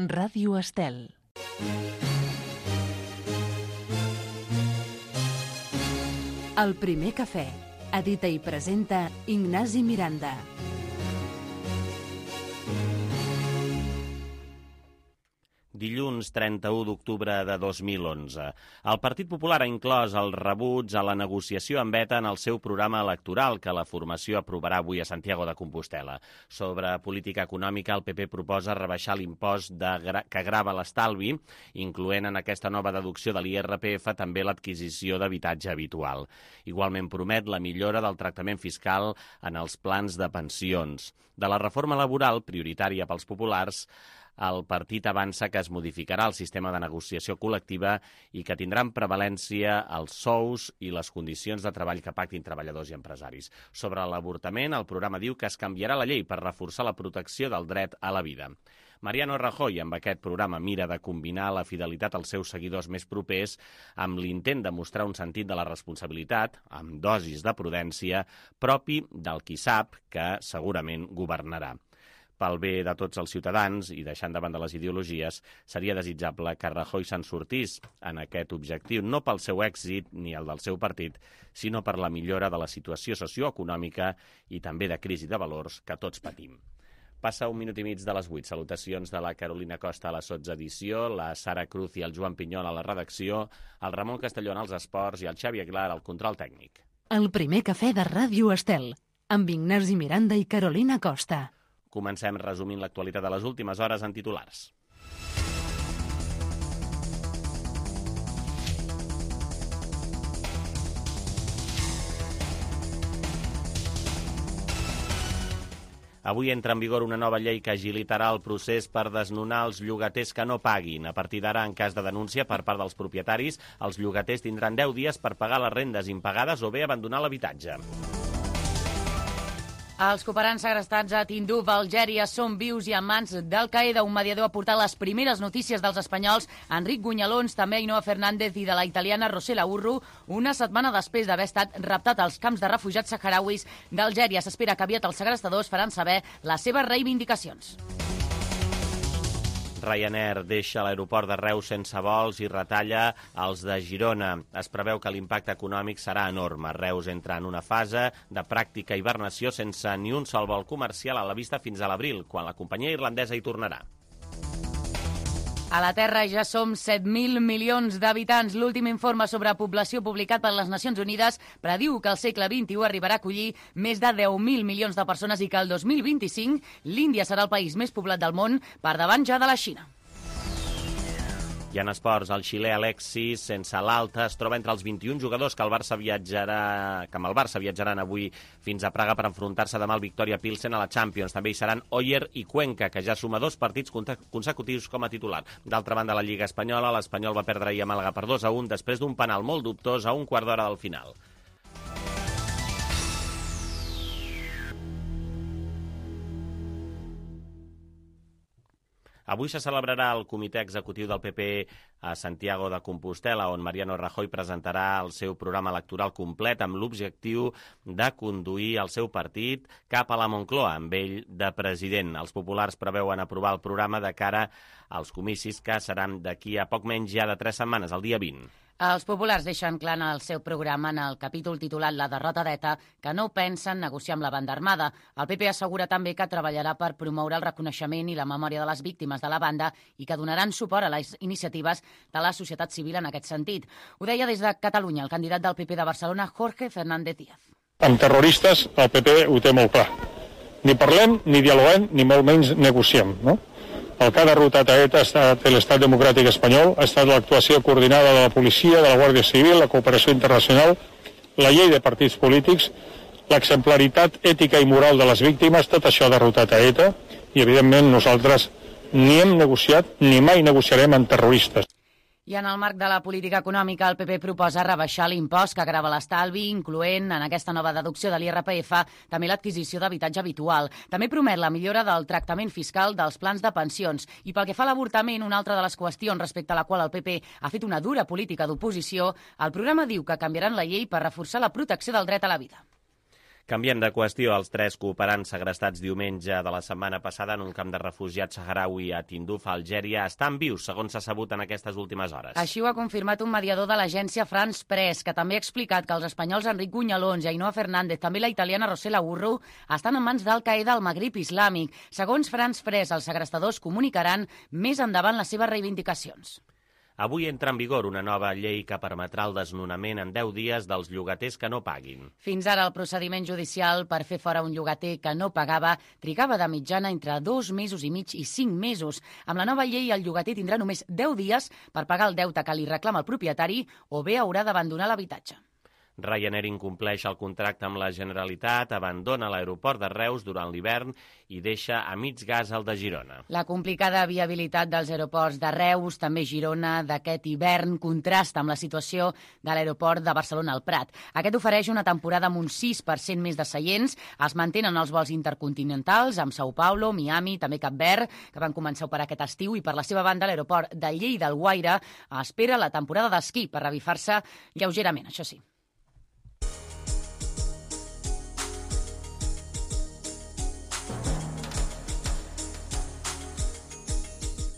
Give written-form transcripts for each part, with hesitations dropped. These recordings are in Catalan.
Ràdio Estel. El primer cafè. Edita i presenta Ignasi Miranda. Dilluns 31 d'octubre de 2011. El Partit Popular ha inclòs el rebuig a la negociació amb ETA en el seu programa electoral que la formació aprovarà avui a Santiago de Compostel·la. Sobre política econòmica, el PP proposa rebaixar l'impost que grava l'estalvi, incloent en aquesta nova deducció de l'IRPF també l'adquisició d'habitatge habitual. Igualment promet la millora del tractament fiscal en els plans de pensions. De la reforma laboral, prioritària pels populars, el partit avança que es modificarà el sistema de negociació col·lectiva i que tindran prevalència els sous i les condicions de treball que pactin treballadors i empresaris. Sobre l'avortament, el programa diu que es canviarà la llei per reforçar la protecció del dret a la vida. Mariano Rajoy, amb aquest programa, mira de combinar la fidelitat als seus seguidors més propers amb l'intent de mostrar un sentit de la responsabilitat, amb dosis de prudència, propi del qui sap que segurament governarà. Pel bé de tots els ciutadans i deixant de banda les ideologies, seria desitjable que Rajoy se'n sortís en aquest objectiu, no pel seu èxit ni el del seu partit, sinó per la millora de la situació socioeconòmica i també de crisi de valors que tots patim. Passa 1 minut i mig de les 8. Salutacions de la Carolina Costa a la sotsedició, la Sara Cruz i el Joan Pinyol a la redacció, el Ramon Castellón als esports i el Xavi Aguilar al control tècnic. El primer cafè de Ràdio Estel, amb Ignasi Miranda i Carolina Costa. Comencem resumint l'actualitat de les últimes hores en titulars. Avui entra en vigor una nova llei que agilitarà el procés per desnonar els llogaters que no paguin. A partir d'ara, en cas de denúncia per part dels propietaris, els llogaters tindran 10 dies per pagar les rendes impagades o bé abandonar l'habitatge. Els cooperants segrestats a Tinduf, Algèria, són vius i en mans d'Al-Qaeda. Un mediador ha portat les primeres notícies dels espanyols, Enric Gunyalons, també Ainhoa Fernández i de la italiana Rosela Urru, una setmana després d'haver estat raptat als camps de refugiats saharauis d'Algèria. S'espera que aviat els segrestadors faran saber les seves reivindicacions. Ryanair deixa l'aeroport de Reus sense vols i retalla els de Girona. Es preveu que l'impacte econòmic serà enorme. Reus entra en una fase de pràctica hibernació sense ni un sol vol comercial a la vista fins a l'abril, quan la companyia irlandesa hi tornarà. A la Terra ja som 7.000 milions d'habitants. L'últim informe sobre població publicat per les Nacions Unides prediu que el segle XXI arribarà a acollir més de 10.000 milions de persones i que el 2025 l'Índia serà el país més poblat del món, per davant ja de la Xina. I en esports, el xilè Alexis, sense l'alta, es troba entre els 21 jugadors que amb el Barça viatjaran avui fins a Praga per enfrontar-se demà al Victoria Pilsen a la Champions. També hi seran Oyer i Cuenca, que ja suma 2 partits consecutius com a titular. D'altra banda, la Lliga Espanyola, l'Espanyol va perdre ahir a Màlaga per 2-1 després d'un penal molt dubtós a un quart d'hora del final. Avui se celebrarà el comitè executiu del PP a Santiago de Compostel·la, on Mariano Rajoy presentarà el seu programa electoral complet amb l'objectiu de conduir el seu partit cap a la Moncloa, amb ell de president. Els populars preveuen aprovar el programa de cara als comicis que seran d'aquí a poc menys ja de 3 setmanes, el dia 20. Els populars deixen clar en el seu programa, en el capítol titulat La derrota d'ETA, que no pensen negociar amb la banda armada. El PP assegura també que treballarà per promoure el reconeixement i la memòria de les víctimes de la banda i que donaran suport a les iniciatives de la societat civil en aquest sentit. Ho deia des de Catalunya el candidat del PP de Barcelona, Jorge Fernández Díaz. Amb terroristes el PP ho té molt clar. Ni parlem, ni dialoguem, ni molt menys negociem, no? El que ha derrotat a ETA ha estat l'Estat Democràtic Espanyol, ha estat l'actuació coordinada de la policia, de la Guàrdia Civil, la cooperació internacional, la llei de partits polítics, l'exemplaritat ètica i moral de les víctimes, tot això ha derrotat a ETA i, evidentment, nosaltres ni hem negociat ni mai negociarem amb terroristes. I en el marc de la política econòmica, el PP proposa rebaixar l'impost que grava l'estalvi, incloent en aquesta nova deducció de l'IRPF també l'adquisició d'habitatge habitual. També promet la millora del tractament fiscal dels plans de pensions. I pel que fa a l'avortament, una altra de les qüestions respecte a la qual el PP ha fet una dura política d'oposició, el programa diu que canviaran la llei per reforçar la protecció del dret a la vida. Canviem de qüestió. Els 3 cooperants segrestats diumenge de la setmana passada en un camp de refugiats saharaui a Tinduf, a Algèria, estan vius, segons s'ha sabut en aquestes últimes hores. Així ho ha confirmat un mediador de l'agència France Press, que també ha explicat que els espanyols Enric Gunyalons i Ainhoa Fernández, també la italiana Rosela Urru, estan en mans d'Al-Qaeda al Magrib islàmic. Segons France Press, els segrestadors comunicaran més endavant les seves reivindicacions. Avui entra en vigor una nova llei que permetrà el desnonament en 10 dies dels llogaters que no paguin. Fins ara, el procediment judicial per fer fora un llogater que no pagava trigava de mitjana entre 2 mesos i mig i 5 mesos. Amb la nova llei, el llogater tindrà només 10 dies per pagar el deute que li reclama el propietari o bé haurà d'abandonar l'habitatge. Ryanair incompleix el contracte amb la Generalitat, abandona l'aeroport de Reus durant l'hivern i deixa a mig gas el de Girona. La complicada viabilitat dels aeroports de Reus, també Girona, d'aquest hivern, contrasta amb la situació de l'aeroport de Barcelona al Prat. Aquest ofereix una temporada amb un 6% més de seients. Es mantenen els vols intercontinentals amb São Paulo, Miami, també Cap Verd, que van començar a operar aquest estiu, i per la seva banda l'aeroport de Lleida Alguaire espera la temporada d'esquí per revifar-se lleugerament, això sí.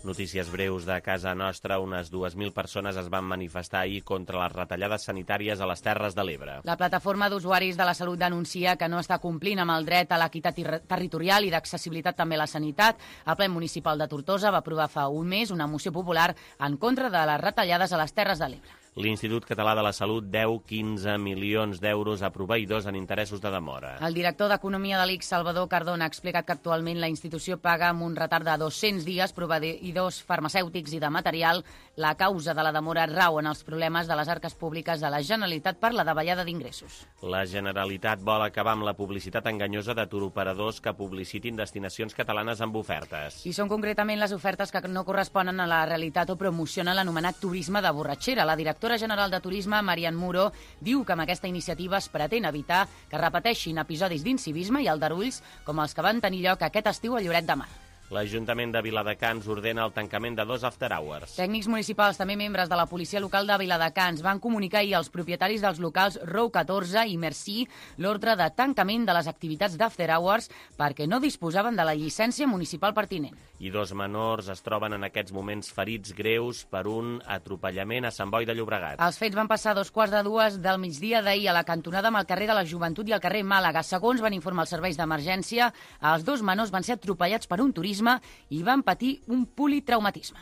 Notícies breus de casa nostra. Unes 2.000 persones es van manifestar ahir contra les retallades sanitàries a les Terres de l'Ebre. La plataforma d'usuaris de la salut denuncia que no està complint amb el dret a l'equitat territorial i d'accessibilitat també a la sanitat. El ple municipal de Tortosa va aprovar fa un mes una moció popular en contra de les retallades a les Terres de l'Ebre. L'Institut Català de la Salut deu 15 milions d'euros a proveïdors en interessos de demora. El director d'Economia de l'ICS, Salvador Cardona, ha explicat que actualment la institució paga amb un retard de 200 dies proveïdors farmacèutics i de material. La causa de la demora rau en els problemes de les arques públiques de la Generalitat per la davallada d'ingressos. La Generalitat vol acabar amb la publicitat enganyosa de turoperadors que publicitin destinacions catalanes amb ofertes. I són concretament les ofertes que no corresponen a la realitat o promocionen l'anomenat turisme de borratxera. La directora general de Turisme, Marian Muro, diu que amb aquesta iniciativa es pretén evitar que repeteixin episodis d'incivisme i aldarulls com els que van tenir lloc aquest estiu a Lloret de Mar. L'Ajuntament de Viladecans ordena el tancament de 2 after hours. Tècnics municipals, també membres de la policia local de Viladecans, van comunicar ahir als propietaris dels locals Row 14 i Merci l'ordre de tancament de les activitats d'after hours perquè no disposaven de la llicència municipal pertinent. I 2 menors es troben en aquests moments ferits greus per un atropellament a Sant Boi de Llobregat. Els fets van passar a 2:15 del migdia d'ahir a la cantonada amb el carrer de la Joventut i el carrer Màlaga. Segons van informar els serveis d'emergència, els 2 menors van ser atropellats per un turisme i van patir un politraumatisme.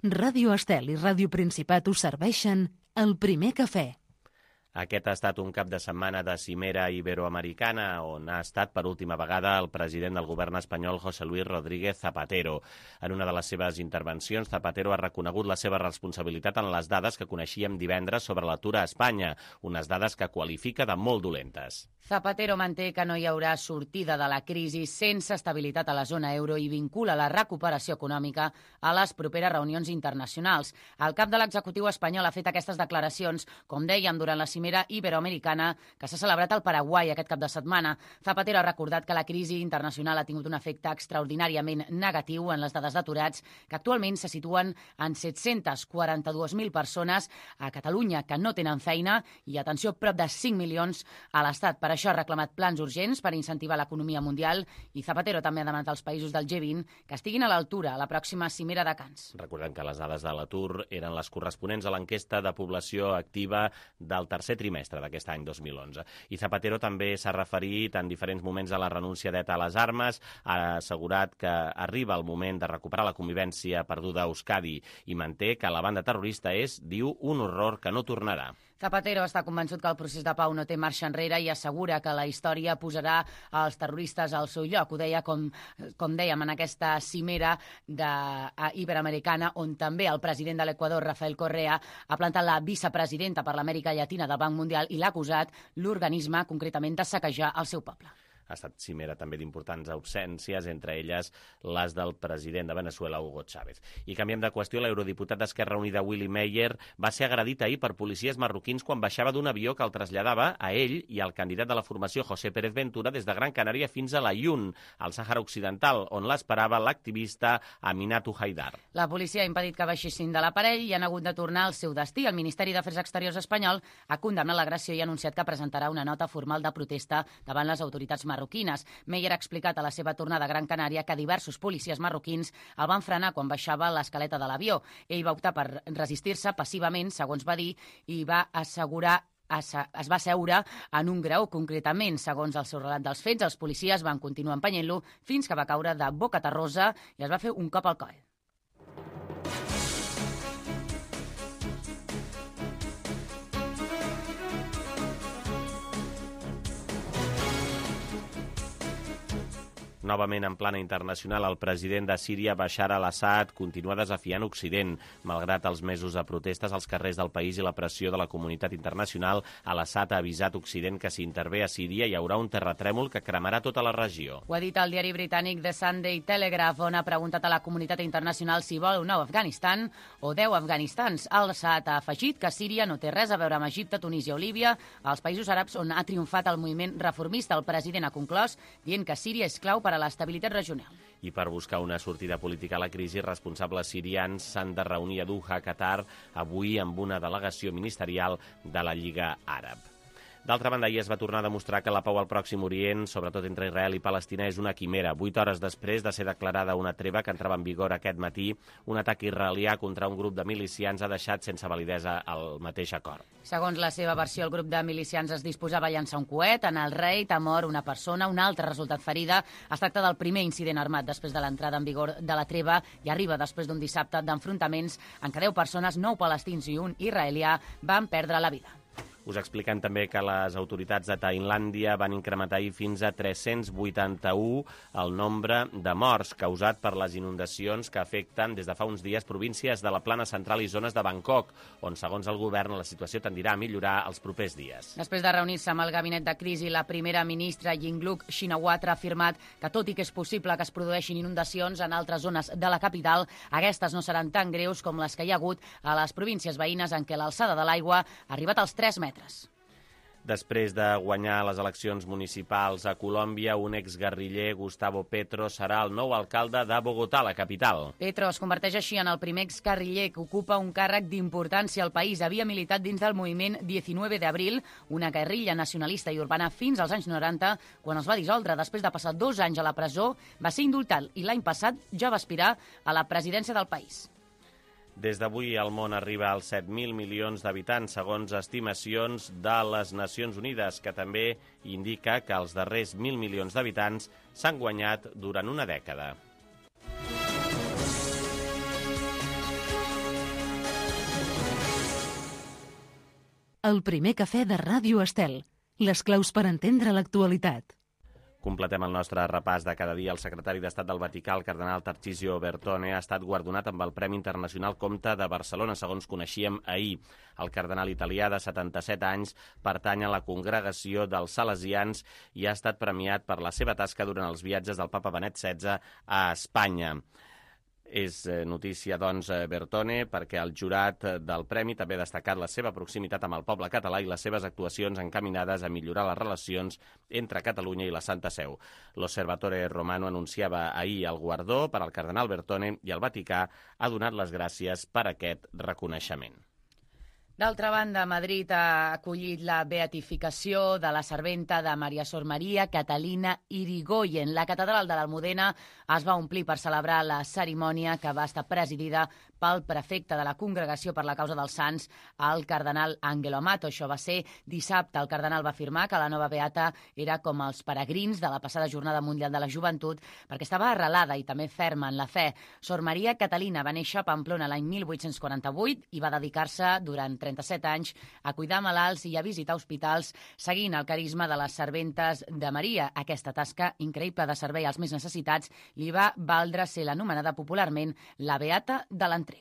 Ràdio Estel i Ràdio Principat us serveixen el primer cafè. Aquest ha estat un cap de setmana de cimera iberoamericana on ha estat per última vegada el president del govern espanyol, José Luis Rodríguez Zapatero. En una de les seves intervencions, Zapatero ha reconegut la seva responsabilitat en les dades que coneixíem divendres sobre l'atur a Espanya, unes dades que qualifica de molt dolentes. Zapatero manté que no hi haurà sortida de la crisi sense estabilitat a la zona euro i vincula la recuperació econòmica a les properes reunions internacionals. El cap de l'executiu espanyol ha fet aquestes declaracions, com dèiem, durant la cimera iberoamericana que s'ha celebrat al Paraguai aquest cap de setmana. Zapatero ha recordat que la crisi internacional ha tingut un efecte extraordinàriament negatiu en les dades d'aturats, que actualment se situen en 742.000 persones a Catalunya que no tenen feina i, atenció, prop de 5 milions a l'Estat. Per això ha reclamat plans urgents per incentivar l'economia mundial i Zapatero també ha demanat als països del G20 que estiguin a l'altura a la pròxima cimera de Canes. Recordem que les dades de l'atur eren les corresponents a l'enquesta de població activa del tercer trimestre d'aquest any 2011. I Zapatero també s'ha referit en diferents moments a la renúncia d'ETA a les armes, ha assegurat que arriba el moment de recuperar la convivència perduda a Euskadi i manté que la banda terrorista és, diu, un horror que no tornarà. Zapatero està convençut que el procés de pau no té marxa enrere i assegura que la història posarà els terroristes al seu lloc. Ho deia, com dèiem, en aquesta cimera iberoamericana, on també el president de l'Equador, Rafael Correa, ha plantat la vicepresidenta per l'Amèrica Llatina del Banc Mundial i l'ha acusat l'organisme, concretament, de saquejar el seu poble. Ha estat cimera també d'importants absències, entre elles les del president de Venezuela, Hugo Chávez. I canviem de qüestió, l'eurodiputat d'Esquerra Unida, Willy Meyer, va ser agredit ahir per policies marroquins quan baixava d'un avió que el traslladava a ell i al candidat de la formació, José Pérez Ventura, des de Gran Canària fins a l'Ayun, al Sàhara Occidental, on l'esperava l'activista Aminatou Haidar. La policia ha impedit que baixessin de l'aparell i han hagut de tornar al seu destí. El Ministeri d'Afers Exteriors espanyol ha condemnat l'agressió i ha anunciat que presentarà una nota formal de protesta davant les autoritats marroquines. Meyer ha explicat a la seva tornada a Gran Canària que diversos policies marroquins el van frenar quan baixava l'escaleta de l'avió. Ell va optar per resistir-se passivament, segons va dir, i va assegurar es va asseure en un graó. Concretament, segons el seu relat dels fets, els policies van continuar empenyent-lo fins que va caure de boca terrosa i es va fer un cop al coll. Novament, en plana internacional, el president de Síria, Bashar al-Assad, continua desafiant Occident. Malgrat els mesos de protestes als carrers del país i la pressió de la comunitat internacional, al-Assad ha avisat Occident que si intervé a Síria hi haurà un terratrèmol que cremarà tota la regió. Ho ha dit el diari britànic The Sunday Telegraph, on ha preguntat a la comunitat internacional si vol un nou Afganistan o 10 Afganistans. Al-Assad ha afegit que Síria no té res a veure amb Egipte, Tunísia o Líbia, els països àrabs on ha triomfat el moviment reformista. El president ha conclòs dient que Síria és clau per a l'estabilitat regional. I per buscar una sortida política a la crisi, responsables sirians s'han de reunir a Doha, Qatar, avui amb una delegació ministerial de la Lliga Àrab. D'altra banda, ahir es va tornar a demostrar que la pau al Pròxim Orient, sobretot entre Israel i Palestina, és una quimera. 8 hores després de ser declarada una treva que entrava en vigor aquest matí, un atac israelià contra un grup de milicians ha deixat sense validesa el mateix acord. Segons la seva versió, el grup de milicians es disposava a llançar un coet. En el raid ha mort una persona, una altra ha resultat ferida. Es tracta del primer incident armat després de l'entrada en vigor de la treva i arriba després d'un dissabte d'enfrontaments en què 10 persones, 9 palestins i un israelià, van perdre la vida. Us expliquem també que les autoritats de Tailàndia van incrementar fins a 381 el nombre de morts causat per les inundacions que afecten des de fa uns dies províncies de la Plana Central i zones de Bangkok, on, segons el govern, la situació tendirà a millorar els propers dies. Després de reunir-se amb el gabinet de crisi, la primera ministra Yingluck Shinawatra ha afirmat que, tot i que és possible que es produeixin inundacions en altres zones de la capital, aquestes no seran tan greus com les que hi ha hagut a les províncies veïnes en què l'alçada de l'aigua ha arribat als 3 metres. Després de guanyar les eleccions municipals a Colòmbia, un exguerriller, Gustavo Petro, serà el nou alcalde de Bogotà, la capital. Petro es converteix així en el primer exguerriller que ocupa un càrrec d'importància al país. Havia militat dins del moviment 19 d'abril, una guerrilla nacionalista i urbana fins als anys 90, quan es va dissoldre. Després de passar 2 anys a la presó, va ser indultat i l'any passat ja va aspirar a la presidència del país. Des d'avui el món arriba als 7.000 milions d'habitants, segons estimacions de les Nacions Unides, que també indica que els darrers 1.000 milions d'habitants s'han guanyat durant una dècada. El primer cafè de Ràdio Estel. Les claus per entendre l'actualitat. Completem el nostre repàs de cada dia. El secretari d'Estat del Vaticà, el cardenal Tarcisio Bertone, ha estat guardonat amb el Premi Internacional Comte de Barcelona, segons coneixíem ahir. El cardenal italià, de 77 anys, pertany a la congregació dels salesians i ha estat premiat per la seva tasca durant els viatges del papa Benet XVI a Espanya. És notícia, doncs, Bertone, perquè el jurat del premi també ha destacat la seva proximitat amb el poble català i les seves actuacions encaminades a millorar les relacions entre Catalunya i la Santa Seu. L'Osservatore Romano anunciava ahir el guardó per al cardenal Bertone i el Vaticà ha donat les gràcies per aquest reconeixement. D'altra banda, Madrid ha acollit la beatificació de la serventa de Maria Sor Maria Catalina Irigoyen. La catedral de l'Almudena es va omplir per celebrar la cerimònia, que va estar presidida pel prefecte de la Congregació per la Causa dels Sants, el cardenal Angelo Amato. Això va ser dissabte. El cardenal va afirmar que la nova beata era com els peregrins de la passada Jornada Mundial de la Joventut, perquè estava arrelada i també ferma en la fe. Sor Maria Catalina va néixer a Pamplona l'any 1848 i va dedicar-se durant 37 anys a cuidar malalts i a visitar hospitals, seguint el carisma de les serventes de Maria. Aquesta tasca increïble de servei als més necessitats li va valdre ser l'anomenada popularment la beata de l'entrega.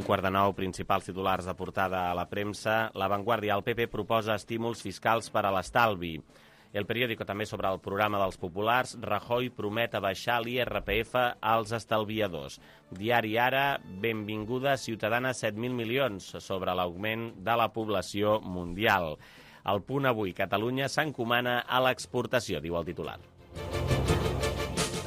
8:15, principals titulars de portada a la premsa. La Vanguardia, el PP proposa estímuls fiscals per a l'estalvi. El periòdico també sobre el programa dels populars. Rajoy promet abaixar l'IRPF als estalviadors. Diari Ara, benvinguda ciutadana 7.000 milions sobre l'augment de la població mundial. El Punt avui, Catalunya s'encomana a l'exportació, diu el titular.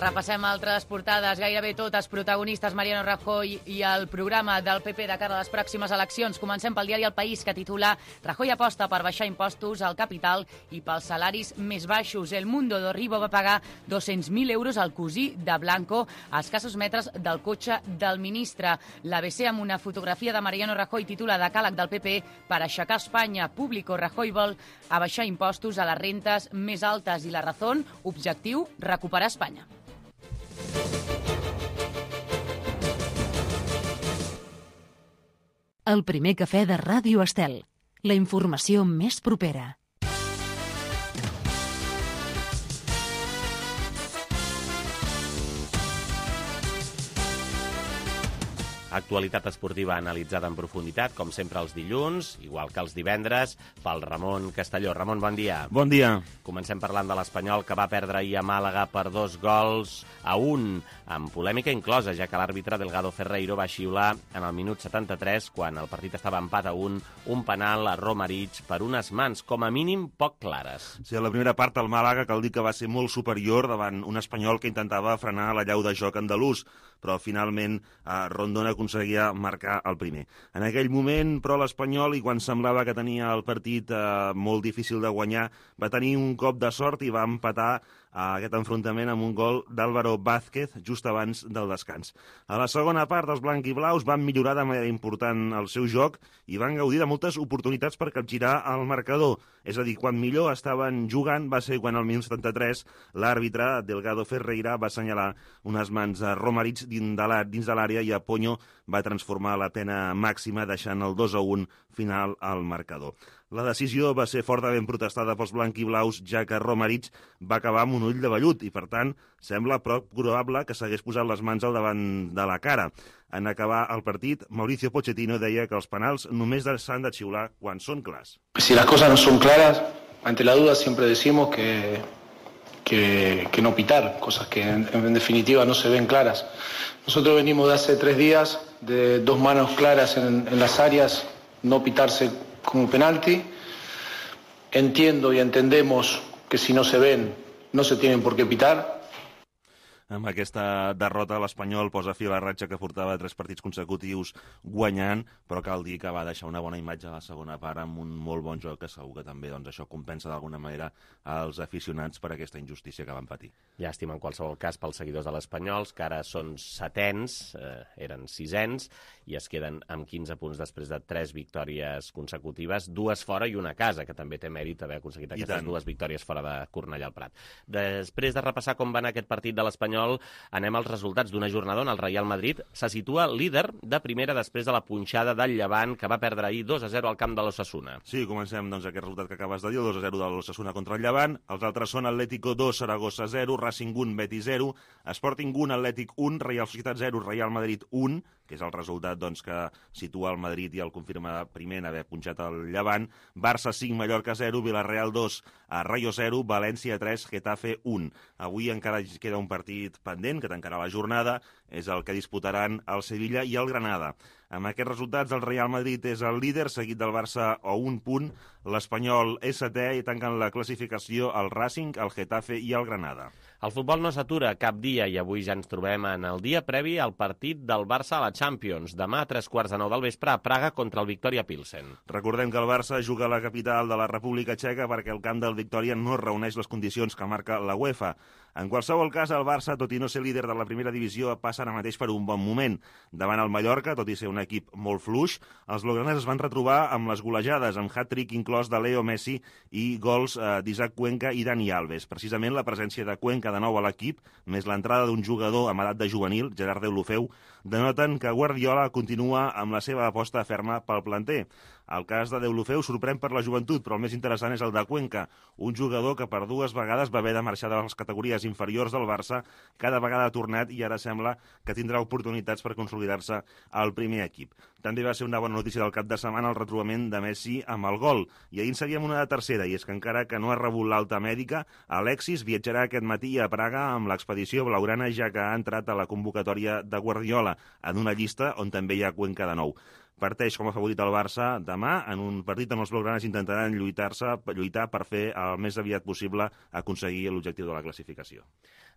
Repassem altres portades, gairebé totes protagonistes, Mariano Rajoy i el programa del PP de cara a les pròximes eleccions. Comencem pel diari El País, que titula Rajoy aposta per baixar impostos al capital i pels salaris més baixos. El Mundo d'Orribo va pagar 200.000 euros al cosí de Blanco a escassos metres del cotxe del ministre. L'ABC, amb una fotografia de Mariano Rajoy, titula Decàleg del PP per aixecar Espanya. Público, Rajoy vol abaixar impostos a les rentes més altes i La Razón, objectiu, recuperar Espanya. El primer cafè de Ràdio Estel. La informació més propera. Actualitat esportiva analitzada en profunditat, com sempre els dilluns, igual que els divendres, pel Ramon Castelló. Ramon, bon dia. Bon dia. Comencem parlant de l'Espanyol, que va perdre ahir a Màlaga per 2-1, amb polèmica inclosa, ja que l'àrbitre Delgado Ferreiro va xiular en el minut 73, quan el partit estava empat a un penal a Romarich per unes mans, com a mínim, poc clares. Sí, a la primera part el Màlaga cal dir que va ser molt superior davant un Espanyol que intentava frenar la llau de joc andalús, però finalment Rondón aconseguia marcar el primer. En aquell moment, però, l'Espanyol, i quan semblava que tenia el partit molt difícil de guanyar, va tenir un cop de sort i va empatar aquest enfrontament amb un gol d'Álvaro Vázquez just abans del descans. A la segona part, els blanquiblaus van millorar de manera important el seu joc i van gaudir de moltes oportunitats per capgirar el marcador. És a dir, quan millor estaven jugant va ser quan al minut 73 l'àrbitre Delgado Ferreira va assenyalar unes mans a Romarich dins de l'àrea i Apoño va transformar la pena màxima deixant el 2-1 final al marcador. La decisió va ser fortament protestada pels blanquiblaus, ja que Romarich va acabar amb un ull de vellut i, per tant, sembla prou probable que s'hagués posat les mans al davant de la cara. En acabar el partit, Mauricio Pochettino deia que els penals només s'han de xiular quan són clars. Si las cosas no son claras, ante la duda siempre decimos que no pitar, cosas que en definitiva no se ven claras. Nosotros venimos de hace 3 días de 2 manos claras en las áreas, no pitarse como penalti. Entiendo y entendemos que si no se ven, no se tienen por qué pitar. Amb aquesta derrota, l'Espanyol posa fi a la ratxa que portava 3 partits consecutius guanyant, però cal dir que va deixar una bona imatge a la segona part amb un molt bon joc, que segur que també això compensa d'alguna manera als aficionats per aquesta injustícia que van patir. Llàstima en qualsevol cas pels seguidors de l'Espanyols, que ara són 7ens, eren 6ens, i es queden amb 15 punts després de 3 victòries consecutives, 2 fora i una a casa, que també té mèrit haver aconseguit aquestes 2 victòries fora de Cornellà al Prat. Després de repassar com va anar aquest partit de l'Espanyol, anem als resultats d'una jornada on el Real Madrid se situa líder de primera després de la punxada del Llevant, que va perdre ahir 2-0 al camp de l'Osasuna. Sí, comencem aquest resultat que acabes de dir, el 2-0 de l'Osasuna contra el Llevant. Els altres són Atlético 2, Saragossa 0, Racing 1, Betis 0, Sporting 1, Atlètic 1, Real Societat 0, Real Madrid 1, que és el resultat que situa el Madrid i el confirma primer en haver punxat el Llevant. Barça 5, Mallorca 0, Villarreal 2, Rayo 0, València 3, Getafe 1. Avui encara queda un partit pendent que tancarà la jornada, és el que disputaran el Sevilla i el Granada. Amb aquests resultats, el Real Madrid és el líder, seguit del Barça a 1 punt, l'Espanyol és 7è i tanquen la classificació el Racing, el Getafe i el Granada. El futbol no s'atura cap dia i avui ja ens trobem en el dia previ al partit del Barça a la Champions. Demà a 9:15 del vespre a Praga contra el Victoria Pilsen. Recordem que el Barça juga a la capital de la República Txeca perquè el camp del Victoria no reuneix les condicions que marca la UEFA. En qualsevol cas, el Barça, tot i no ser líder de la primera divisió, passa ara mateix per un bon moment. Davant el Mallorca, tot i ser un equip molt fluix, els blaugranes es van retrobar amb les golejades, amb hat-trick inclòs de Leo Messi i gols d'Isaac Cuenca i Dani Alves. Precisament la presència de Cuenca de nou a l'equip, més l'entrada d'un jugador amb edat de juvenil, Gerard Deulofeu, denoten que Guardiola continua amb la seva aposta ferma pel planter. El cas de Deulofeu sorprèn per la joventut, però el més interessant és el de Cuenca, un jugador que per 2 vegades va haver de marxar de les categories inferiors del Barça, cada vegada ha tornat i ara sembla que tindrà oportunitats per consolidar-se al primer equip. També va ser una bona notícia del cap de setmana el retrobament de Messi amb el gol. I ahir en seguíem una de tercera, i és que encara que no ha rebut l'alta mèdica, Alexis viatjarà aquest matí a Praga amb l'expedició blaugrana, ja que ha entrat a la convocatòria de Guardiola, en una llista on també hi ha Cuenca de nou. Parteix com a favorit el Barça demà, en un partit on els blaugranes intentaran lluitar per fer el més aviat possible aconseguir l'objectiu de la classificació.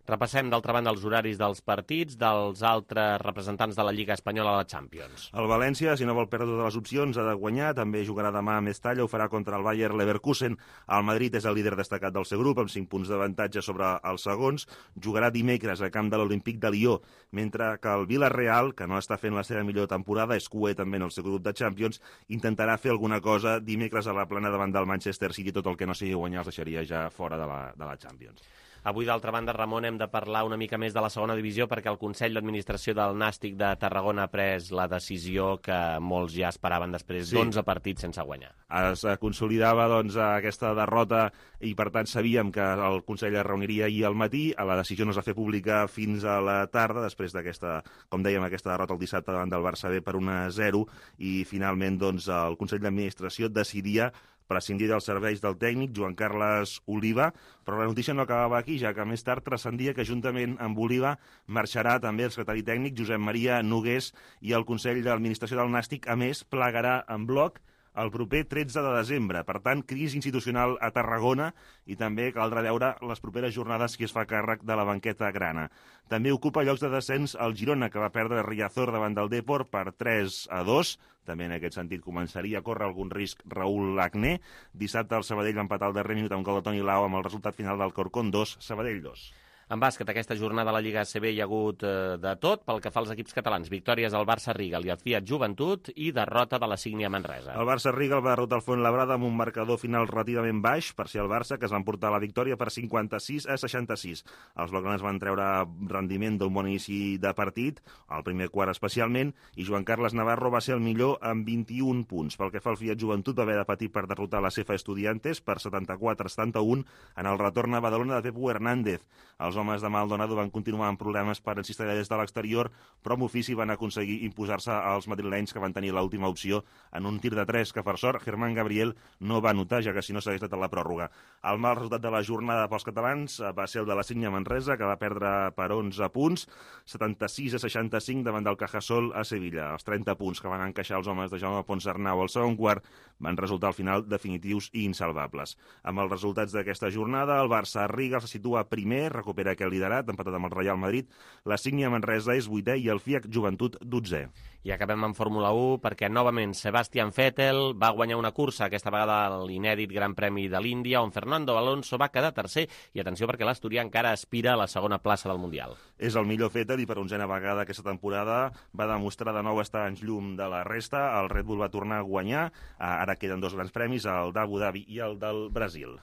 Repassem, d'altra banda, els horaris dels partits dels altres representants de la Lliga Espanyola a la Champions. El València, si no vol perdre totes les opcions, ha de guanyar. També jugarà demà a Mestalla, ho farà contra el Bayer Leverkusen. El Madrid és el líder destacat del seu grup, amb 5 punts d'avantatge sobre els segons. Jugarà dimecres a camp de l'Olímpic de Lió, mentre que el Villarreal, que no està fent la seva millor temporada, és cué també en el seu grup de Champions, intentarà fer alguna cosa dimecres a la plana davant del Manchester City. Tot el que no sigui guanyar els deixaria ja fora de la Champions. Avui, d'altra banda, Ramon, hem de parlar una mica més de la segona divisió perquè el Consell d'Administració del Nàstic de Tarragona ha pres la decisió que molts ja esperaven després d'11 partits sense guanyar. Es consolidava aquesta derrota i, per tant, sabíem que el Consell es reuniria ahir al matí. La decisió no es va fer pública fins a la tarda, després d'aquesta, com dèiem, aquesta derrota el dissabte davant del Barça B per 1-0, i finalment el Consell d'Administració decidia prescindir dels serveis del tècnic Joan Carles Oliva, però la notícia no acabava aquí, ja que més tard transcendia que juntament amb Oliva marxarà també el secretari tècnic Josep Maria Nogués, i el Consell d'Administració del Nàstic, a més, plegarà en bloc el proper 13 de desembre. Per tant, crisi institucional a Tarragona, i també caldrà veure les properes jornades qui es fa càrrec de la banqueta grana. També ocupa llocs de descens el Girona, que va perdre Riazor davant del Depor per 3-2. També en aquest sentit començaria a córrer algun risc Raúl Agné. Dissabte el Sabadell va empatar al darrer minut amb gol de Toni Lau, amb el resultat final del Corcón 2, Sabadell 2. En bàsquet, aquesta jornada a la Lliga ACB hi ha hagut de tot. Pel que fa als equips catalans, victòries al Barça Rigal i al Fiat Joventut i derrota de la Sígnia Manresa. El Barça Rigal va derrotar el Fuenlabrada amb un marcador final relativament baix, per ser el Barça, que es van portar la victòria per 56-66. Els blaugranes van treure rendiment d'un bon inici de partit, al primer quart especialment, i Joan Carles Navarro va ser el millor amb 21 punts. Pel que fa al Fiat Joventut, va haver de patir per derrotar la CEFA Estudiantes per 74-71 en el retorn a Badalona de Pepu Hernández. Els homes de Maldonado van continuar amb problemes per encistellar des de l'exterior, però amb ofici van aconseguir imposar-se als madrilenys, que van tenir l'última opció en un tir de 3 que, per sort, Germán Gabriel no va anotar, ja que si no s'hagués estat a la pròrroga. El mal resultat de la jornada pels catalans va ser el de la Sígnia Manresa, que va perdre per 11 punts, 76-65 davant del Cajasol a Sevilla. Els 30 punts que van encaixar els homes de Jaume Ponsarnau al segon quart van resultar al final definitius i insalvables. Amb els resultats d'aquesta jornada, el Barça Riga se situa primer, recupera aquest liderat, empatat amb el Real Madrid. La Sígnia Manresa és 8è i el Fiat Joventut 12è. I acabem amb Fórmula 1 perquè novament Sebastian Vettel va guanyar una cursa, aquesta vegada a l'inèdit Gran Premi de l'Índia, on Fernando Alonso va quedar tercer, i atenció perquè l'asturià encara aspira a la segona plaça del Mundial. És el millor Vettel i per 11a vegada aquesta temporada va demostrar de nou estar en llum de la resta. El Red Bull va tornar a guanyar, ara queden 2 grans premis, el d'Abu Dhabi i el del Brasil.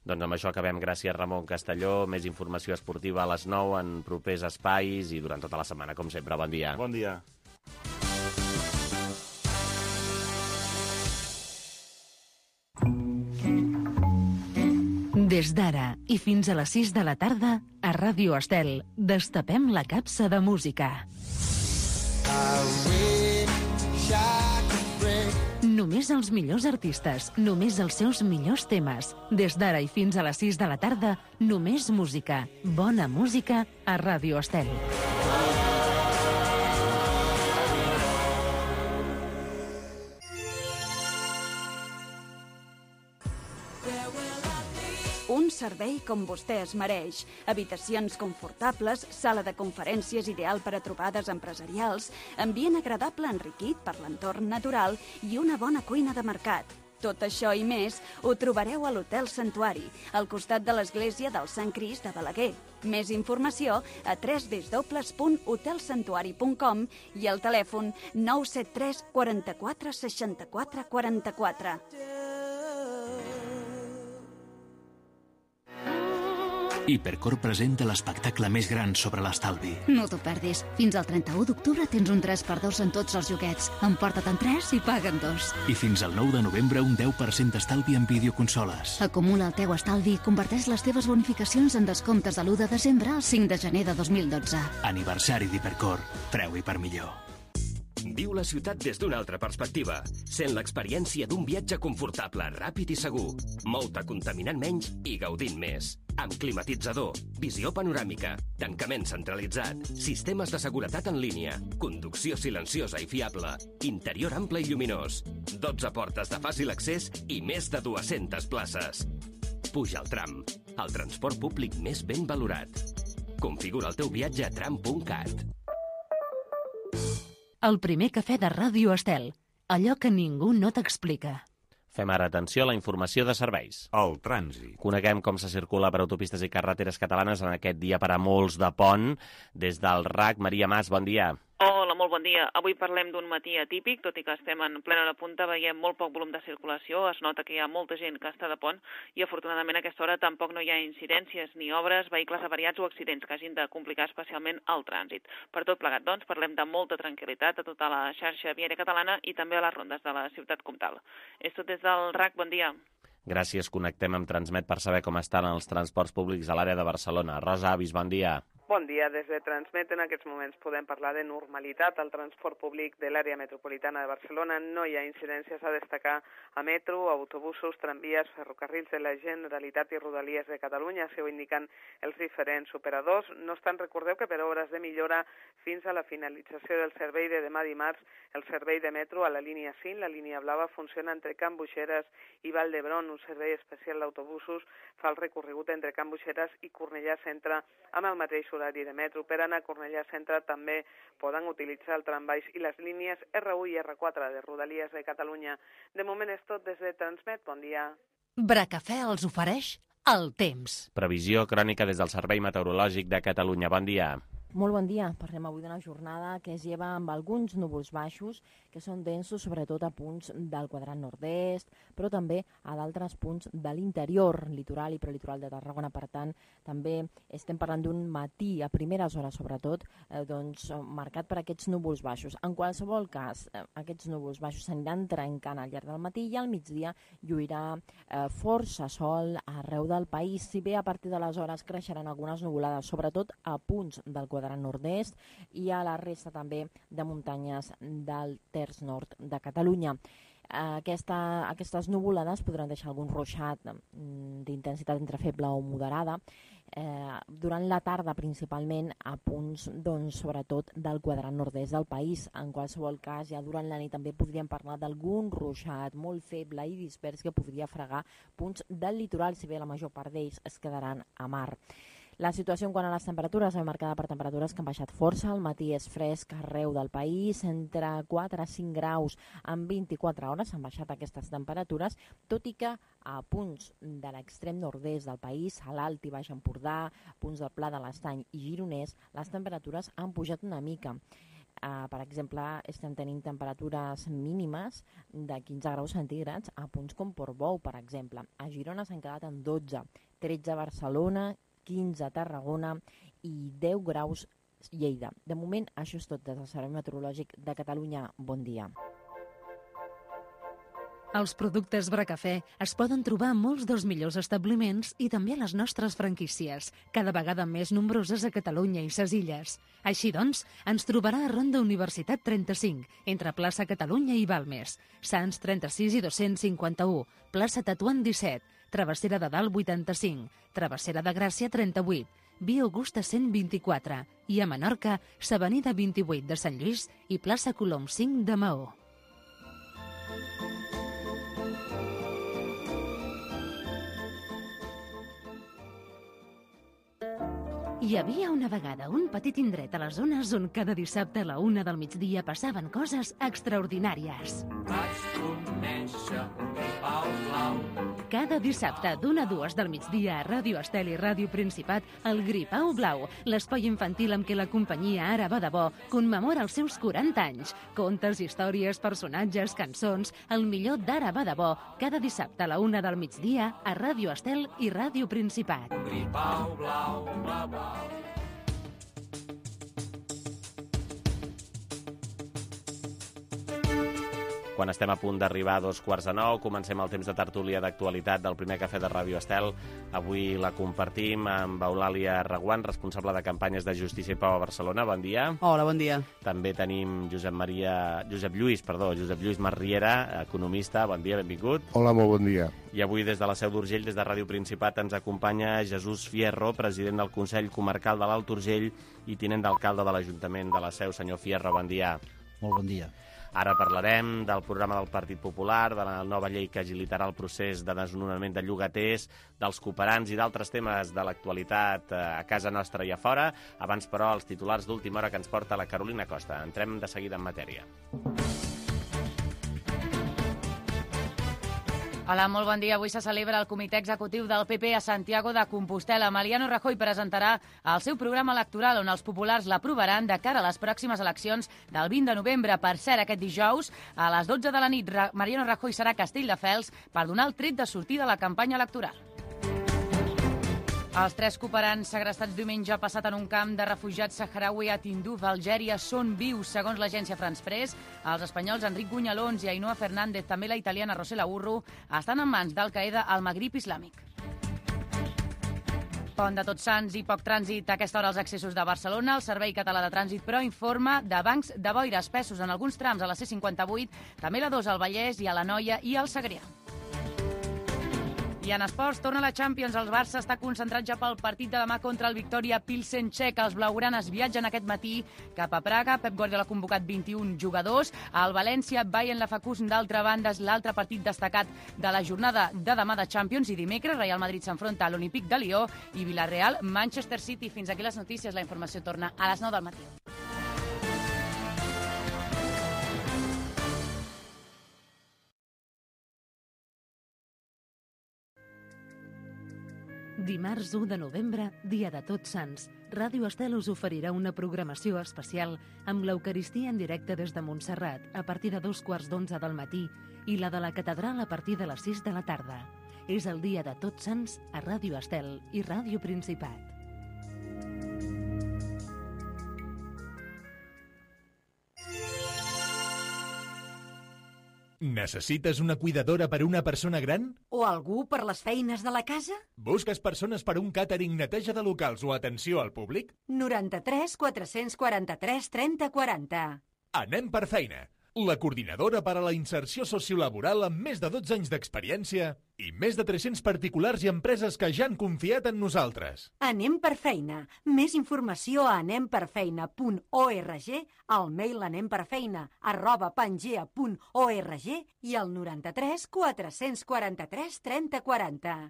Doncs amb això acabem. Gràcies, Ramon Castelló. Més informació esportiva a les 9 en propers espais i durant tota la setmana, com sempre. Bon dia. Bon dia. Des d'ara i fins a les 6 de la tarda, a Ràdio Estel, destapem la capsa de música. Només els millors artistes, només els seus millors temes. Des d'ara i fins a les 6 de la tarda, només música. Bona música a Ràdio Estel. Un servei com vostè es mereix. Habitacions confortables, sala de conferències ideal per a trobades empresarials, ambient agradable enriquit per l'entorn natural i una bona cuina de mercat. Tot això i més ho trobareu a l'Hotel Santuari, al costat de l'església del Sant Crist de Balaguer. Més informació a www.hotelsantuari.com i al telèfon 973 44 64 44. Hipercor presenta l'espectacle més gran sobre l'estalvi. No t'ho perdis. Fins al 31 d'octubre tens un 3x2 en tots els joguets. Emporta-te'n 3 i paguen 2. I fins al 9 de novembre un 10% d'estalvi en videoconsoles. Acumula el teu estalvi i converteix les teves bonificacions en descomptes de l'1 de desembre al 5 de gener de 2012. Aniversari d'Hipercor. Preu-hi per millor. Viu la ciutat des d'una altra perspectiva. Sent l'experiència d'un viatge confortable, ràpid i segur. Mou-te contaminant menys i gaudint més. Amb climatitzador, visió panoràmica, tancament centralitzat, sistemes de seguretat en línia, conducció silenciosa i fiable, interior ample i lluminós, 12 portes de fàcil accés i més de 200 places. Puja al tram, el transport públic més ben valorat. Configura el teu viatge a tram.cat. El primer cafè de Ràdio Estel. Allò que ningú no t'explica. Fem ara atenció a la informació de serveis. El trànsit. Coneguem com se circula per autopistes i carreteres catalanes en aquest dia per a molts de pont. Des del RAC, Maria Mas, bon dia. Hola, molt bon dia. Avui parlem d'un matí atípic, tot i que estem en plena hora punta, veiem molt poc volum de circulació, es nota que hi ha molta gent que està de pont i afortunadament a aquesta hora tampoc no hi ha incidències ni obres, vehicles avariats o accidents que hagin de complicar especialment el trànsit. Per tot plegat, doncs, parlem de molta tranquil·litat a tota la xarxa viària catalana i també a les rondes de la ciutat comtal. És tot des del RAC, bon dia. Gràcies, connectem amb Transmet per saber com estan els transports públics a l'àrea de Barcelona. Rosa Avis, bon dia. Bon dia. Des de Transmet en aquests moments podem parlar de normalitat al transport públic de l'àrea metropolitana de Barcelona. No hi ha incidències a destacar a metro, autobusos, tramvies, ferrocarrils de la Generalitat i Rodalies de Catalunya, si ho indiquen els diferents operadors. No obstant, recordeu que per obres de millora fins a la finalització del servei de demà dimarts, el servei de metro a la línia 5, la línia blava, funciona entre Can Buixeres i Vall d'Hebron. Un servei especial d'autobusos fa el recorregut entre Can Buixeres i Cornellà Centre amb el mateix horari de metro. Per anar a Cornellà Centre també poden utilitzar el trambaix i les línies R1 i R4 de Rodalies de Catalunya. De moment és tot des de Transmet. Bon dia. Bracafè els ofereix el temps. Previsió crònica des del Servei Meteorològic de Catalunya. Bon dia. Molt bon dia. Parlem avui d'una jornada que es lleva amb alguns núvols baixos que són densos sobretot a punts del quadrant nord-est, però també a d'altres punts de l'interior, litoral i prelitoral de Tarragona. Per tant, també estem parlant d'un matí, a primeres hores sobretot, marcat per aquests núvols baixos. En qualsevol cas, aquests núvols baixos s'aniran trencant al llarg del matí i al migdia lluirà força sol arreu del país, si bé a partir de les hores creixeran algunes nuvolades, sobretot a punts del quadrant nord-est i a la resta també de muntanyes del terç nord de Catalunya. Aquestes nuvolades podran deixar algun ruixat d'intensitat entre feble o moderada durant la tarda principalment a punts sobretot del quadrant nord-est del país. En qualsevol cas, ja durant la nit també podríem parlar d'algun ruixat molt feble i dispers que podria fregar punts del litoral, si bé la major part d'ells es quedaran a mar. La situació en quant a les temperatures és marcada per temperatures que han baixat força. Al matí és fresc arreu del país, entre 4 a 5 graus en 24 hores han baixat aquestes temperatures, tot i que a punts de l'extrem nord-est del país, a l'Alt i Baix Empordà, punts del Pla de l'Estany i Gironès, les temperatures han pujat una mica. Per exemple, estem tenint temperatures mínimes de 15 graus centígrads a punts com Portbou, per exemple. A Girona s'han quedat en 12, 13 a Barcelona, 15 a Tarragona i 10 graus Lleida. De moment, això és tot des del Servei Meteorològic de Catalunya. Bon dia. Els productes Bracafè es poden trobar a molts dels millors establiments i també a les nostres franquícies, cada vegada més nombroses a Catalunya i ses illes. Així doncs, ens trobarà a Ronda Universitat 35, entre plaça Catalunya i Balmes, Sants 36 i 251, plaça Tatuant 17, Travessera de Dalt 85, Travessera de Gràcia 38, Via Augusta 124 i a Menorca, s'Avenida 28 de Sant Lluís i plaça Colom 5 de Maó. Hi havia una vegada un petit indret a les zones on cada dissabte a la 1 del migdia passaven coses extraordinàries. Vaig conèixer un gripau blau. Cada dissabte d'1 a 2 del migdia a Ràdio Estel i Ràdio Principat, el Gripau Blau, l'espai infantil amb què la companyia Ara va de bo commemora els seus 40 anys. Contes, històries, personatges, cançons, el millor d'Ara va de bo, cada dissabte a la 1 del migdia a Ràdio Estel i Ràdio Principat. Gripau blau, blau, blau. Quan estem a punt d'arribar a 8:45, comencem el temps de tertúlia d'actualitat del primer cafè de Ràdio Estel. Avui la compartim amb Eulàlia Reguant, responsable de campanyes de Justícia i Pau a Barcelona. Bon dia. Hola, bon dia. També tenim Josep Lluís Marriera, economista. Bon dia, benvingut. Hola, molt bon dia. I avui des de la Seu d'Urgell, des de Ràdio Principat, ens acompanya Jesús Fierro, president del Consell Comarcal de l'Alt Urgell i tinent d'alcalde de l'Ajuntament de la Seu. Senyor Fierro, bon dia. Molt bon dia. Ara parlarem del programa del Partit Popular, de la nova llei que agilitarà el procés de desnonament de llogaters, dels cooperants i d'altres temes de l'actualitat a casa nostra i a fora. Abans, però, els titulars d'última hora que ens porta la Carolina Costa. Entrem de seguida en matèria. Hola, molt bon dia. Avui se celebra el comitè executiu del PP a Santiago de Compostela. Mariano Rajoy presentarà el seu programa electoral on els populars l'aprovaran de cara a les pròximes eleccions del 20 de novembre. Per cert, aquest dijous, a les 12 de la nit, Mariano Rajoy serà a Castelldefels per donar el tret de sortida a la campanya electoral. Els 3 cooperants segrestats diumenge passat en un camp de refugiats saharaui a Tindouf, Algèria, són vius, segons l'agència France Press. Els espanyols Enric Gunyalons i Ainhoa Fernández, també la italiana Rosela Urru, estan en mans d'Al-Qaeda al Magrib islàmic. Pont de Tots Sants i poc trànsit a aquesta hora als accessos de Barcelona. El Servei Català de Trànsit, però, informa de bancs de boira espessos en alguns trams a la C58, també la 2 al Vallès i a l'Anoia i al Segrià. I en esports, torna la Champions. El Barça està concentrat ja pel partit de demà contra el Victoria Pilsen txec. Els blaugranes viatgen aquest matí cap a Praga. Pep Guardiola ha convocat 21 jugadors. El València, Bayern Leverkusen, d'altra banda, és l'altre partit destacat de la jornada de demà de Champions. I dimecres, Real Madrid s'enfronta a l'Olímpic de Lió i Villarreal, Manchester City. Fins aquí les notícies. La informació torna a les 9 del matí. Dimarts 1 de novembre, dia de Tots Sants, Ràdio Estel us oferirà una programació especial amb l'Eucaristia en directe des de Montserrat a partir de 11:15 del matí i la de la catedral a partir de les 6 de la tarda. És el dia de Tots Sants a Ràdio Estel i Ràdio Principat. Necessites una cuidadora per a una persona gran? O algú per les feines de la casa? Busques persones per a un càtering, neteja de locals o atenció al públic? 93 443 30 40. Anem per feina. La coordinadora per a la inserció sociolaboral amb més de 12 anys d'experiència i més de 300 particulars i empreses que ja han confiat en nosaltres. Anem per feina. Més informació a anemperfeina.org, al mail anemperfeina@pangea.org i al 93 443 30 40.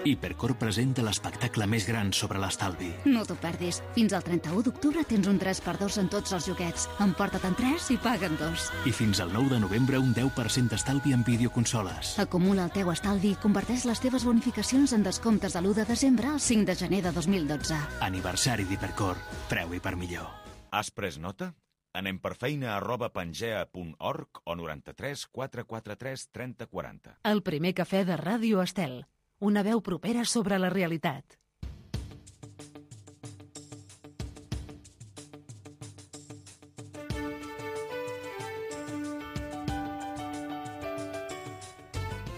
Hipercor presenta l'espectacle més gran sobre l'estalvi. No t'ho perdis. Fins al 31 d'octubre tens un 3x2 en tots els joguets. Emporta-te'n 3 i paga'n 2. I fins al 9 de novembre un 10% d'estalvi en videoconsoles. Acumula el teu estalvi i converteix les teves bonificacions en descomptes de l'1 de desembre al 5 de gener de 2012. Aniversari d'Hipercor. Preu i per millor. Has pres nota? Anem per feina@pangea.org o 93 443 30 40. El primer cafè de Ràdio Estel. Una veu propera sobre la realitat.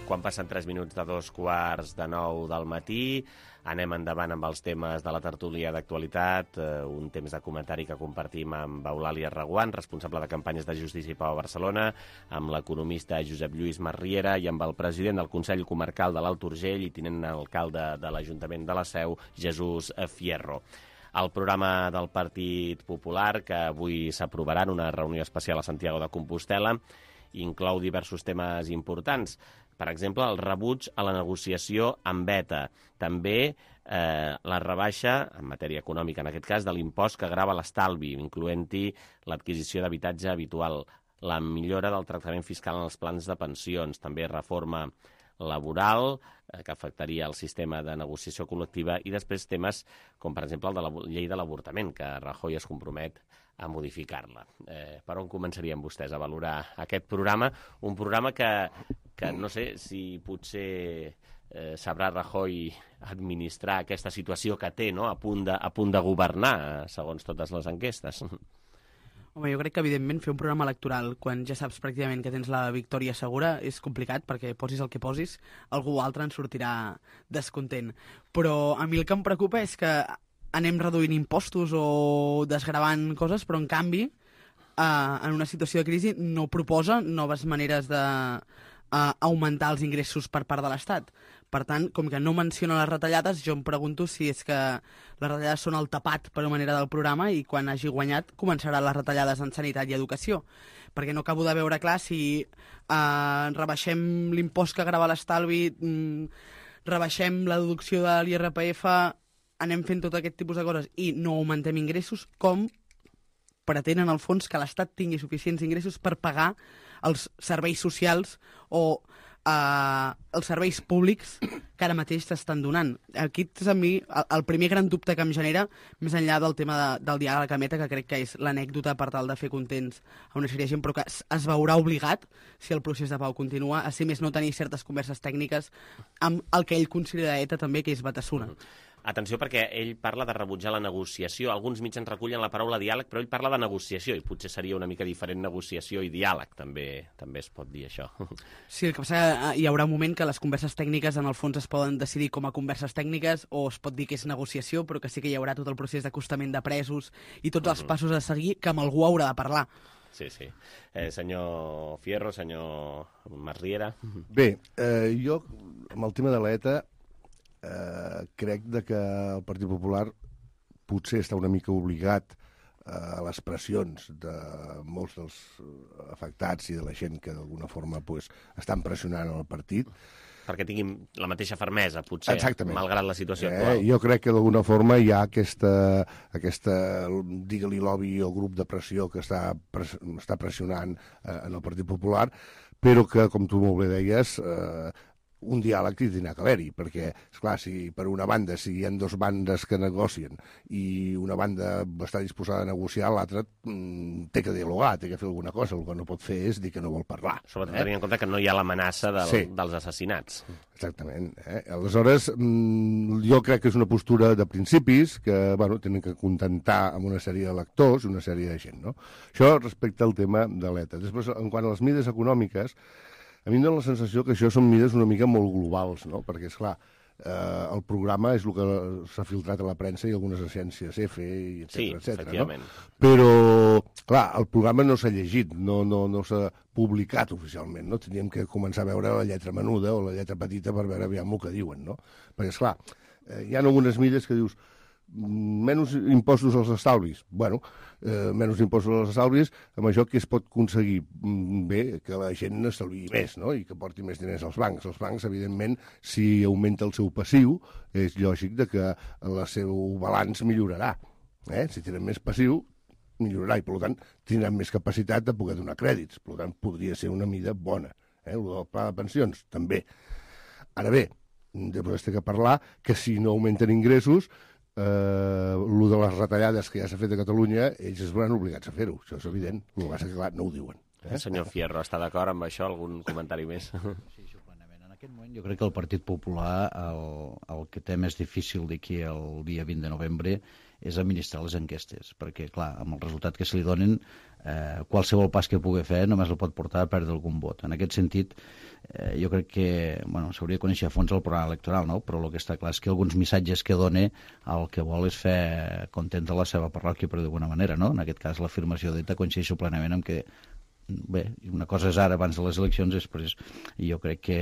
Quan passen 3 minuts de 8:45 del matí, anem endavant amb els temes de la tertúlia d'actualitat, un temps de comentari que compartim amb Eulàlia Reguant, responsable de campanyes de Justícia i Pau a Barcelona, amb l'economista Josep Lluís Marriera i amb el president del Consell Comarcal de l'Alt Urgell i tinent alcalde de l'Ajuntament de la Seu, Jesús Fierro. El programa del Partit Popular, que avui s'aprovarà en una reunió especial a Santiago de Compostela, inclou diversos temes importants, Per exemple, el rebuig a la negociació amb ETA. També la rebaixa, en matèria econòmica en aquest cas, de l'impost que grava l'estalvi, incloent-hi l'adquisició d'habitatge habitual, la millora del tractament fiscal en els plans de pensions, també reforma laboral, que afectaria el sistema de negociació col·lectiva, i després temes com, per exemple, el de la llei de l'avortament, que Rajoy es compromet a modificar-la. Per on començarien vostès a valorar aquest programa? Un programa que no sé si potser sabrà Rajoy administrar aquesta situació que té, no?, a punt de governar, segons totes les enquestes. Home, jo crec que, evidentment, fer un programa electoral quan ja saps pràcticament que tens la victòria segura és complicat, perquè posis el que posis, algú altre en sortirà descontent. Però a mi el que em preocupa és que anem reduint impostos o desgravant coses, però, en canvi, en una situació de crisi no proposa noves maneres d'augmentar els ingressos per part de l'Estat. Per tant, com que no menciona les retallades, jo em pregunto si és que les retallades són el tapat per una manera del programa i quan hagi guanyat començaran les retallades en sanitat i educació. Perquè no acabo de veure clar si rebaixem l'impost que grava l'estalvi, rebaixem la deducció de l'IRPF, anem fent tot aquest tipus de coses i no augmentem ingressos, com pretenen, al fons, que l'Estat tingui suficients ingressos per pagar els serveis socials o els serveis públics que ara mateix s'estan donant. Aquest és a mi el primer gran dubte que em genera, més enllà del tema del diàleg amb ETA, que crec que és l'anècdota per tal de fer contents a una sèrie de gent, però que es veurà obligat, si el procés de pau continua, a si més no tenir certes converses tècniques amb el que ell considera ETA també, que és Batasuna. Atenció, perquè ell parla de rebutjar la negociació. Alguns mitjans recullen la paraula diàleg, però ell parla de negociació, i potser seria una mica diferent negociació i diàleg, també es pot dir això. Sí, el que passa que hi haurà un moment que les converses tècniques en el fons es poden decidir com a converses tècniques o es pot dir que és negociació, però que sí que hi haurà tot el procés d'acostament de presos i tots els passos a seguir que amb algú haurà de parlar. Sí. Senyor Fierro, senyor Masriera. Bé, jo, amb el tema de l'ETA, crec que el Partit Popular potser està una mica obligat a les pressions de molts dels afectats i de la gent que d'alguna forma estan pressionant el partit. Perquè tinguin la mateixa fermesa, potser, exactament, malgrat la situació actual. Jo crec que d'alguna forma hi ha aquesta digue-li lobby o grup de pressió que està pressionant en el Partit Popular, però que, com tu molt bé deies, un diàleg que tindrà que haver-hi, perquè, esclar, si per una banda, si hi ha dues bandes que negocien i una banda està disposada a negociar, l'altra té que dialogar, té que fer alguna cosa, el que no pot fer és dir que no vol parlar. Sobretot tenint en compte que no hi ha l'amenaça dels assassinats. Exactament. Aleshores, jo crec que és una postura de principis que, tenen que contentar amb una sèrie de lectors i una sèrie de gent, no? Això respecte al tema de l'ETA. Després, en quant a les mides econòmiques, a mi em dóna la sensació que això són mides una mica molt globals, no? Perquè, esclar, el programa és el que s'ha filtrat a la premsa i algunes agències EFE, etcètera, efectivament. No? Però, clar, el programa no s'ha llegit, no s'ha publicat oficialment, no? Teníem que començar a veure la lletra menuda o la lletra petita per veure aviam el que diuen, no? Perquè, esclar, hi ha algunes mides que dius menys impostos als estalvis. Menys impostos als estalvis, amb això que es pot aconseguir? Bé, que la gent estalviï més, no? I que porti més diners als bancs. Els bancs, evidentment, si augmenta el seu passiu, és lògic que el seu balanç millorarà. Si tenen més passiu, millorarà, i per tant tindran més capacitat de poder donar crèdits. Per tant, podria ser una mida bona. El del pla de pensions, també. Ara bé, després té que parlar que si no augmenten ingressos, el de les retallades que ja s'ha fet a Catalunya, ells es veuran obligats a fer-ho, això és evident, el que passa que clar, no ho diuen. Senyor Fierro, està d'acord amb això? Algun comentari més? Sí, plenament. En aquest moment jo crec que el Partit Popular el que té més difícil d'aquí el dia 20 de novembre és administrar les enquestes, perquè clar, amb el resultat que se li donen, qualsevol pas que pugui fer només el pot portar a perdre algun vot. En aquest sentit, jo crec que s'hauria de conèixer a fons el programa electoral, no? Però el que està clar és que alguns missatges que dona el que vol és fer contenta la seva parròquia, per d'alguna manera, no? En aquest cas, l'afirmació d'ETA coincideixo plenament amb que bé, una cosa és ara, abans de les eleccions, després jo crec que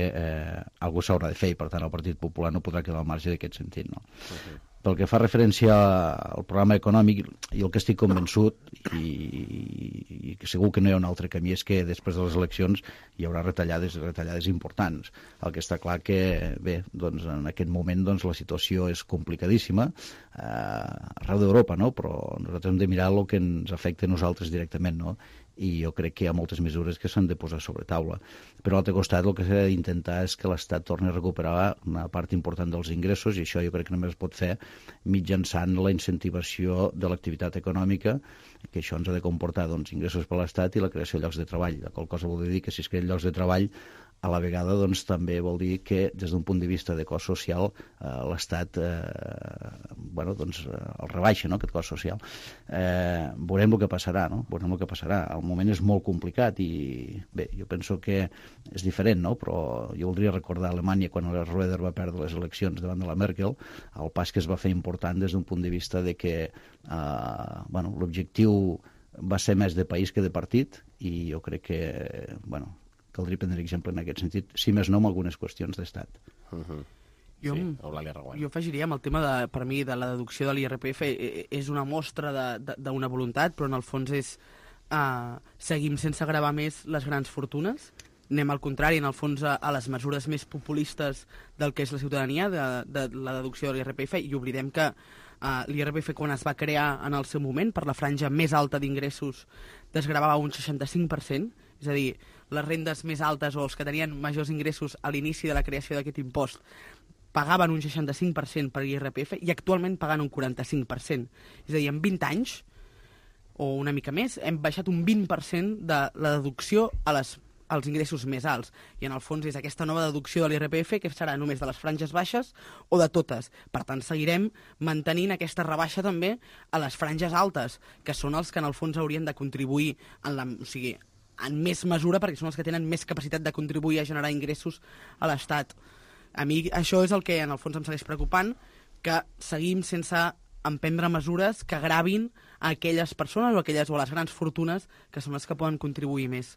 algú s'haurà de fer, i per tant el Partit Popular no podrà quedar al marge d'aquest sentit, no? Pel que fa referència al programa econòmic, jo el que estic convençut, i segur que no hi ha un altre camí, és que després de les eleccions hi haurà retallades importants. El que està clar que, bé, doncs, en aquest moment doncs, la situació és complicadíssima arreu d'Europa, no? Però nosaltres hem de mirar el que ens afecta a nosaltres directament, no? I jo crec que hi ha moltes mesures que s'han de posar sobre taula. Però a l'altre costat el que s'ha d'intentar és que l'Estat torni a recuperar una part important dels ingressos, i això jo crec que només es pot fer mitjançant la incentivació de l'activitat econòmica, que això ens ha de comportar doncs, ingressos per l'Estat i la creació de llocs de treball. La qual cosa vol dir que si es creen llocs de treball, a la vegada doncs, també vol dir que des d'un punt de vista de cost social l'Estat doncs, el rebaixa, no?, aquest cost social. Veurem el que passarà, no? Veurem el que passarà. El moment és molt complicat i bé, jo penso que és diferent, no? Però jo voldria recordar Alemanya quan el Schröder va perdre les eleccions davant de la Merkel, el pas que es va fer important des d'un punt de vista de que l'objectiu va ser més de país que de partit, i jo crec que caldria prendre exemple en aquest sentit, si més no, amb algunes qüestions d'estat. Jo afegiria amb el tema, per mi, de la deducció de l'IRPF, és una mostra d'una voluntat, però en el fons és seguim sense gravar més les grans fortunes, anem al contrari, en el fons, a les mesures més populistes del que és la ciutadania, de la deducció de l'IRPF, i oblidem que l'IRPF, quan es va crear en el seu moment, per la franja més alta d'ingressos, desgravava un 65%, és a dir, les rendes més altes o els que tenien majors ingressos a l'inici de la creació d'aquest impost pagaven un 65% per l'IRPF i actualment paguen un 45%. És a dir, en 20 anys, o una mica més, hem baixat un 20% de la deducció als ingressos més alts. I en el fons és aquesta nova deducció de l'IRPF que serà només de les franges baixes o de totes. Per tant, seguirem mantenint aquesta rebaixa també a les franges altes, que són els que en el fons haurien de contribuir en més mesura, perquè són els que tenen més capacitat de contribuir a generar ingressos a l'Estat. A mi això és el que en el fons em segueix preocupant, que seguim sense emprendre mesures que gravin a aquelles persones o a les grans fortunes que són les que poden contribuir més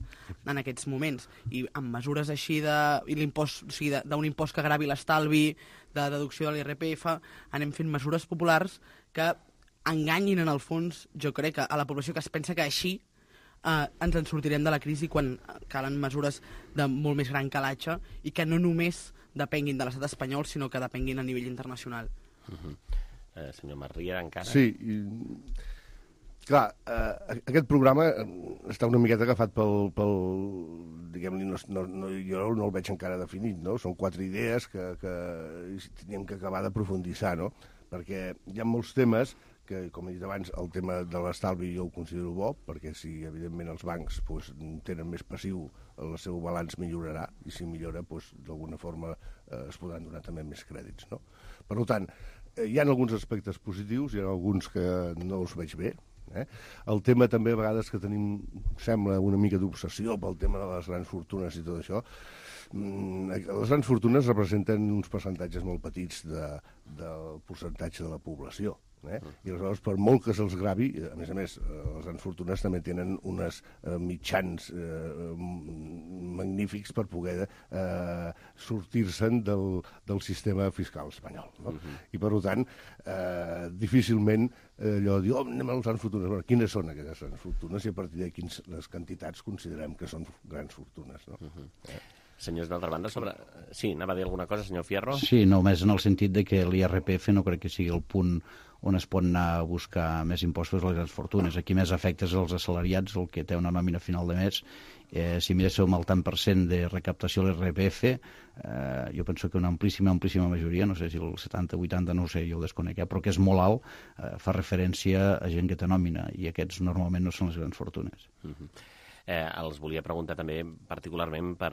en aquests moments. I amb mesures així d'un impost que gravi l'estalvi, de deducció de l'IRPF, anem fent mesures populars que enganyin en el fons, jo crec, a la població que es pensa que així ens en sortirem de la crisi quan calen mesures de molt més gran calatge i que no només depenguin de l'estat espanyol, sinó que depenguin a nivell internacional. Senyor Marriera, encara? Sí, clar, aquest programa està una miqueta agafat pel diguem-li, jo no el veig encara definit, no? Són 4 idees que teníem que acabar d'aprofundissar, no? Perquè hi ha molts temes que, com he dit abans, el tema de l'estalvi jo ho considero bo, perquè si, evidentment, els bancs tenen més passiu, el seu balanç millorarà, i si millora, d'alguna forma es podran donar també més crèdits, no? Per tant, hi ha alguns aspectes positius, hi ha alguns que no els veig bé. El tema també, a vegades, que tenim, sembla, una mica d'obsessió pel tema de les grans fortunes i tot això. Les grans fortunes representen uns percentatges molt petits del percentatge de la població. I aleshores, per molt que se'ls gravi, a més, les grans fortunes també tenen uns mitjans magnífics per poder sortir-se'n del sistema fiscal espanyol. I, per tant, difícilment allò de dir, anem a les grans fortunes. Bueno, quines són aquestes grans fortunes i a partir de quines les quantitats considerem que són grans fortunes, no? Senyors d'altra banda, Sí, anava a dir alguna cosa, senyor Fierro? Sí, només en el sentit de que l'IRPF no crec que sigui el punt on es pot anar a buscar més impostos a les grans fortunes. Aquí més afectes als assalariats, el que té una nòmina final de mes. Si miréssim el tant % de recaptació a l'IRPF, jo penso que una amplíssima majoria, no sé si el 70-80, no ho sé, jo ho desconec, però que és molt alt, fa referència a gent que té nòmina, i aquests normalment no són les grans fortunes. Els volia preguntar també particularment per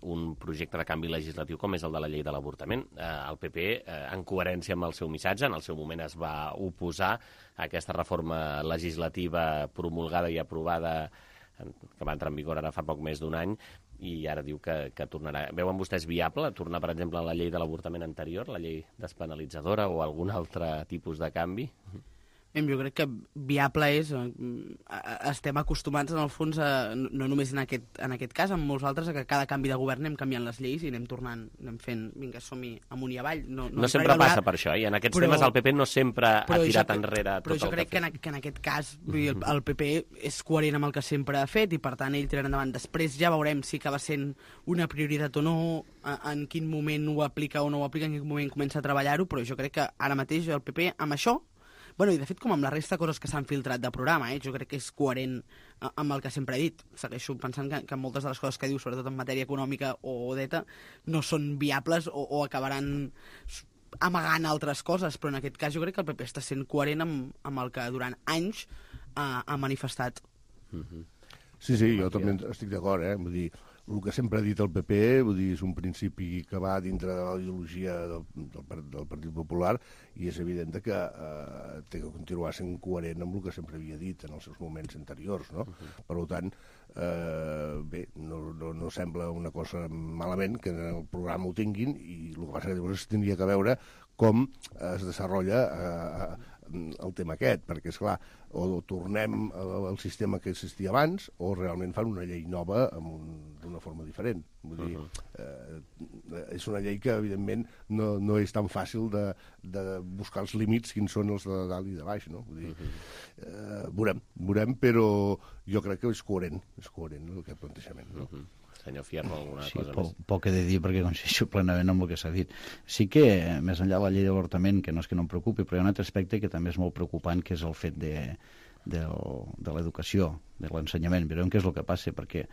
un projecte de canvi legislatiu com és el de la llei de l'avortament. El PP, en coherència amb el seu missatge, en el seu moment es va oposar a aquesta reforma legislativa promulgada i aprovada, que va entrar en vigor ara fa poc més d'un any, i ara diu que tornarà. Veuen vostès viable tornar, per exemple, a la llei de l'avortament anterior, la llei despenalitzadora o algun altre tipus de canvi? Jo crec que viable és... Estem acostumats, en el fons, no només en aquest cas, en molts altres, que cada canvi de govern anem canviant les lleis i anem tornant, anem fent, vinga, som-hi amunt i avall. No sempre passa per això, i en aquests temes el PP no sempre ha tirat enrere tot el que ha fet. Però jo crec que en aquest cas el PP és coherent amb el que sempre ha fet i, per tant, ell tirarà endavant. Després ja veurem si acaba sent una prioritat o no, en quin moment ho aplica o no ho aplica, en quin moment comença a treballar-ho, però jo crec que ara mateix el PP amb això, bueno, i de fet com amb la resta de coses que s'han filtrat de programa, jo crec que és coherent amb el que sempre he dit. Segueixo pensant que moltes de les coses que diu, sobretot en matèria econòmica o d'ETA, no són viables o acabaran amagant altres coses, però en aquest cas jo crec que el PP està sent coherent amb el que durant anys ha manifestat. Sí, jo també estic d'acord, vull dir, el que sempre ha dit el PP, vull dir, és un principi que va dintre de la ideologia del Partit Popular i és evident que té que continuar sent coherent amb el que sempre havia dit en els seus moments anteriors, no? Per tant, bé, no sembla una cosa malament que en el programa ho tinguin i el que passa que llavors tindria que veure com es desenvolupa el tema aquest, perquè, esclar, o tornem al sistema que existia abans o realment fan una llei nova d'una forma diferent. Vull dir, és una llei que, evidentment, no és tan fàcil de buscar els límits, quins són els de dalt i de baix, no? Vull dir, veurem, però jo crec que és coherent aquest plantejament, no? Senyor Fierro, alguna cosa més? Poc he de dir perquè coincideixo plenament amb el que s'ha dit. Sí que, més enllà de la llei de l'avortament, que no és que no em preocupi, però hi ha un altre aspecte que també és molt preocupant, que és el fet de l'educació, de l'ensenyament. Veurem què és el que passa, perquè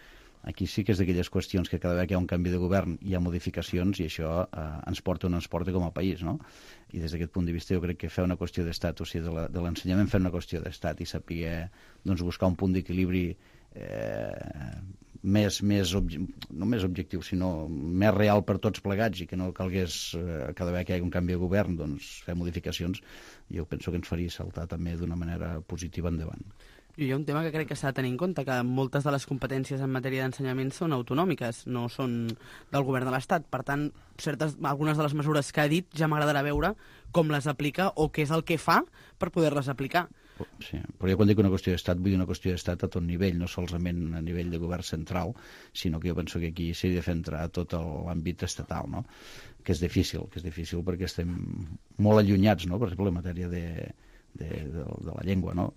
aquí sí que és d'aquelles qüestions que cada vegada que hi ha un canvi de govern hi ha modificacions i això ens porta on ens porta com a país, no? I des d'aquest punt de vista jo crec que fer una qüestió d'estat, o sigui, de l'ensenyament fer una qüestió d'estat i saber buscar un punt d'equilibri no més objectiu, sinó més real per tots plegats i que no calgués cada vegada que hi hagi un canvi de govern fer modificacions, jo penso que ens faria saltar també d'una manera positiva endavant. I hi ha un tema que crec que s'ha de tenir en compte, que moltes de les competències en matèria d'ensenyament són autonòmiques, no són del govern de l'Estat. Per tant, algunes de les mesures que ha dit ja m'agradarà veure com les aplica o què és el que fa per poder-les aplicar. Sí, però jo quan dic una qüestió d'estat vull dir una qüestió d'estat a tot nivell, no solament a nivell de govern central, sinó que jo penso que aquí s'ha de fer entrar tot l'àmbit estatal, no? Que és difícil perquè estem molt allunyats, no? Per exemple, en matèria de la llengua, no?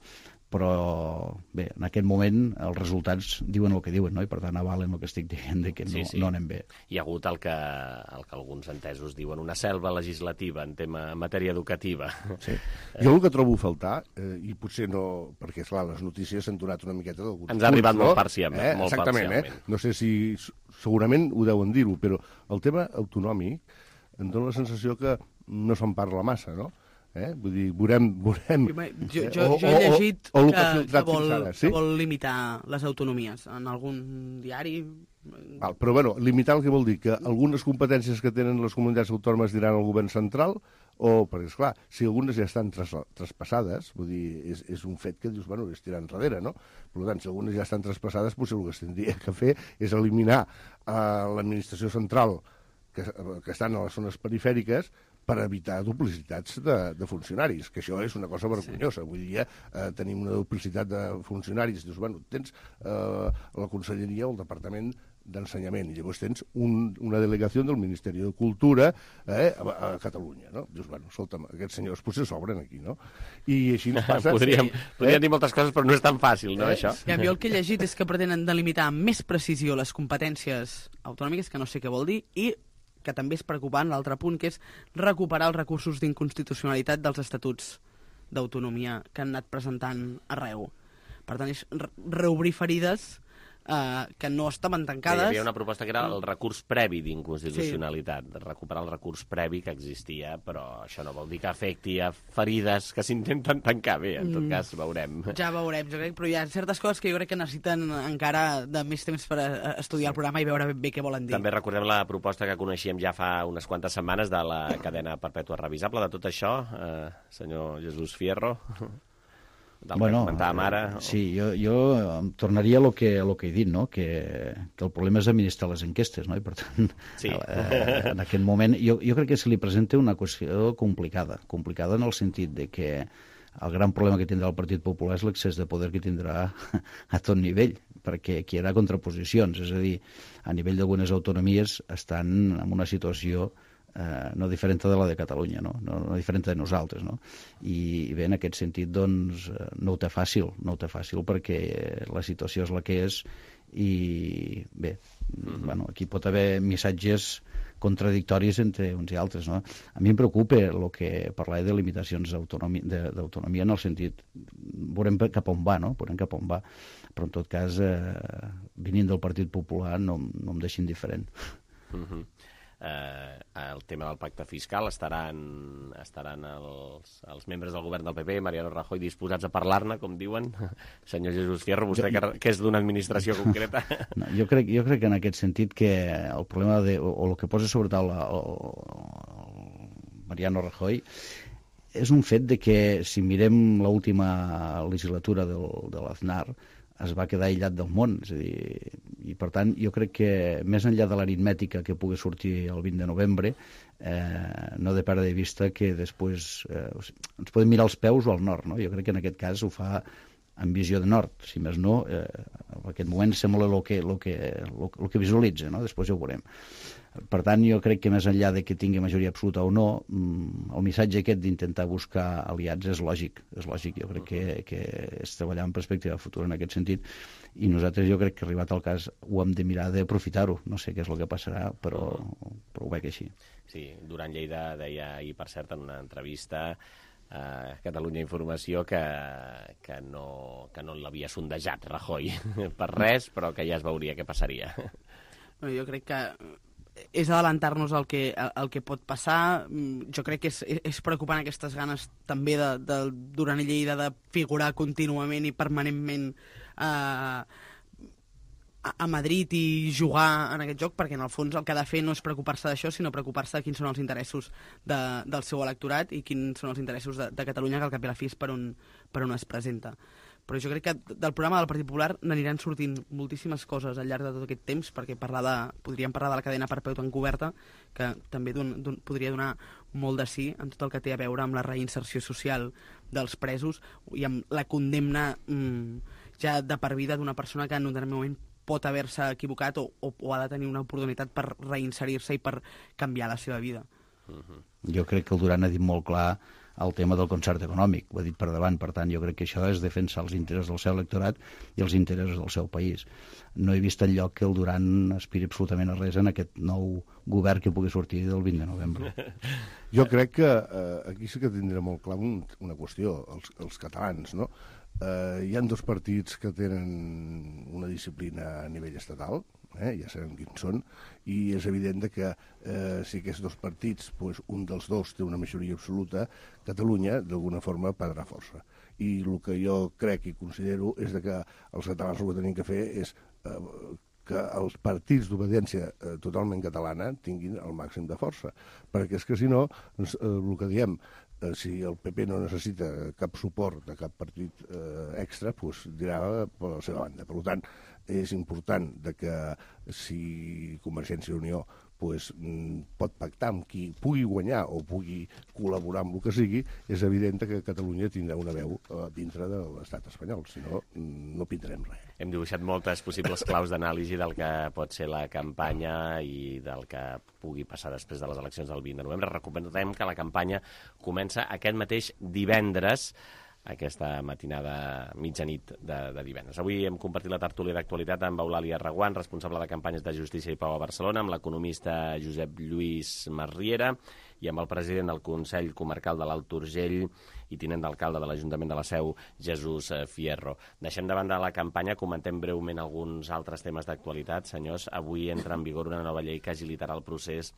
Però bé, en aquest moment els resultats diuen el que diuen, no? I per tant avalen el que estic dient de que no anem bé. Hi ha hagut el que alguns entesos diuen una selva legislativa en matèria educativa. Sí. Jo el que trobo a faltar, i potser no, perquè esclar, les notícies s'han donat una miqueta d'alguns ens ha arribat molt parcialment. Exactament, no sé si segurament ho deuen dir-ho, però el tema autonòmic em dóna la sensació que no se'n parla massa, no? Vull dir, veurem... Jo he llegit que vol limitar les autonomies en algun diari. Però, bueno, limitar el que vol dir? Que algunes competències que tenen les comunitats autònomes diran al govern central perquè, esclar, si algunes ja estan traspassades, vull dir, és un fet que dius, bueno, és tirar enrere, no? Per tant, si algunes ja estan traspassades, potser el que es tindria que fer és eliminar l'administració central que estan a les zones perifèriques per evitar duplicitats de funcionaris, que això és una cosa vergonyosa. Avui dia tenim una duplicitat de funcionaris. Dius, bueno, tens la Conselleria o el Departament d'Ensenyament, i llavors tens una delegació del Ministeri de Cultura a Catalunya, no? Dius, bueno, escolta'm, aquests senyors potser s'obren aquí, no? I així ens passa... Podríem dir moltes coses, però no és tan fàcil, no, això? Ja, jo el que he llegit és que pretenen delimitar amb més precisió les competències autonòmiques, que no sé què vol dir, i que també és preocupant, l'altre punt, que és recuperar els recursos d'inconstitucionalitat dels estatuts d'autonomia que han anat presentant arreu. Per tant, és reobrir ferides que no estaven tancades. Hi havia una proposta que era el recurs previ d'inconstitucionalitat, recuperar el recurs previ que existia, però això no vol dir que afecti a ferides que s'intenten tancar. Bé, en tot cas, veurem. Ja veurem, jo crec, però hi ha certes coses que jo crec que necessiten encara de més temps per estudiar el programa i veure ben bé què volen dir. També recordem la proposta que coneixíem ja fa unes quantes setmanes de la cadena perpètua revisable de tot això, senyor Jesús Fierro. Bueno, sí, jo tornaria a lo que he dit, no? Que el problema és administrar les enquestes, no? I per tant, en aquest moment jo crec que se li presenta una qüestió complicada en el sentit de que El gran problema que tindrà el Partit Popular és l'excés de poder que tindrà a tot nivell, perquè aquí hi haurà contraposicions, és a dir, a nivell d'algunes autonomies estan en una situació no diferent de la de Catalunya, no diferent de nosaltres, no? I bé, en aquest sentit, doncs, no ho té fàcil perquè la situació és la que és i bé, bueno, aquí pot haver missatges contradictoris entre uns i altres, no? A mi em preocupa el que parlar de limitacions d'autonomia en el sentit, veurem cap on va, no? Veurem cap on va, però en tot cas, venint del Partit Popular no em deixin diferent. El tema del pacte fiscal estaran els membres del govern del PP, Mariano Rajoy, disposats a parlar-ne, com diuen. Senyor Jesús Fierro, vostè que és d'una administració concreta. No, jo crec que en aquest sentit que el problema o el que posa sobre taula Mariano Rajoy és un fet de que si mirem l'última legislatura de l'Aznar es va quedar aïllat del món, és a dir, i per tant jo crec que més enllà de l'aritmètica que pugui sortir el 20 de novembre no de perdre de vista que després ens podem mirar els peus o al nord, no? Jo crec que en aquest cas ho fa en visió de nord, si més no en aquest moment sembla el que visualitza, no? Després ja ho veurem. Per tant, jo crec que més enllà de que tingui majoria absoluta o no, el missatge aquest d'intentar buscar aliats és lògic. Jo crec que és treballar en perspectiva futura en aquest sentit, i nosaltres jo crec que arribat al cas ho hem de mirar d'aprofitar-ho. No sé què és el que passarà, però ho veig així. Sí, Duran Lleida deia ahir, per cert, en una entrevista a Catalunya Informació que no l'havia sondejat Rajoy per res, però que ja es veuria què passaria. Jo crec que és adelantar-nos al que pot passar. Jo crec que és preocupant aquestes ganes també de Duran Lleida de figurar contínuament i permanentment a Madrid i jugar en aquest joc, perquè en el fons el que ha de fer no és preocupar-se d'això, sinó preocupar-se de quins són els interessos del seu electorat i quins són els interessos de Catalunya, que al cap i a la fi és per on es presenta. Però jo crec que del programa del Partit Popular n'aniran sortint moltíssimes coses al llarg de tot aquest temps, perquè podríem parlar de la cadena perpètua encoberta, que també podria donar molt de sí en tot el que té a veure amb la reinserció social dels presos i amb la condemna ja de per vida d'una persona que en un determinat moment pot haver-se equivocat o ha de tenir una oportunitat per reinserir-se i per canviar la seva vida. Jo crec que el Duran ha dit molt clar el tema del concert econòmic, ho ha dit per davant, per tant jo crec que això és defensar els interessos del seu electorat i els interessos del seu país. No he vist enlloc que el Duran aspiri absolutament a res en aquest nou govern que pugui sortir del 20 de novembre. Jo crec que aquí sí que tindrà molt clar una qüestió, els catalans, no? Hi ha dos partits que tenen una disciplina a nivell estatal, ja sabem quins són, i és evident que si aquests dos partits, un dels dos té una majoria absoluta, Catalunya d'alguna forma perdrà força. I el que jo crec i considero és que els catalans el que tenim que fer és que els partits d'obediència totalment catalana tinguin el màxim de força, perquè és que si no, el que diem, si el PP no necessita cap suport de cap partit extra, dirà per la seva banda. Per tant, és important que si Convergència i Unió pot pactar amb qui pugui guanyar o pugui col·laborar amb el que sigui, és evident que Catalunya tindrà una veu dintre de l'estat espanyol, si no, no pintarem res. Hem dibuixat moltes possibles claus d'anàlisi del que pot ser la campanya i del que pugui passar després de les eleccions del 20 de novembre. Recordem que la campanya comença aquest mateix divendres, aquesta matinada mitjanit de divendres. Avui hem compartit la tertúlia d'actualitat amb Eulàlia Reguant, responsable de campanyes de Justícia i Pau a Barcelona, amb l'economista Josep Lluís Masriera i amb el president del Consell Comarcal de l'Alt Urgell i tinent d'alcalde de l'Ajuntament de la Seu, Jesús Fierro. Deixem de banda la campanya, comentem breument alguns altres temes d'actualitat. Senyors, avui entra en vigor una nova llei que agilitarà el procés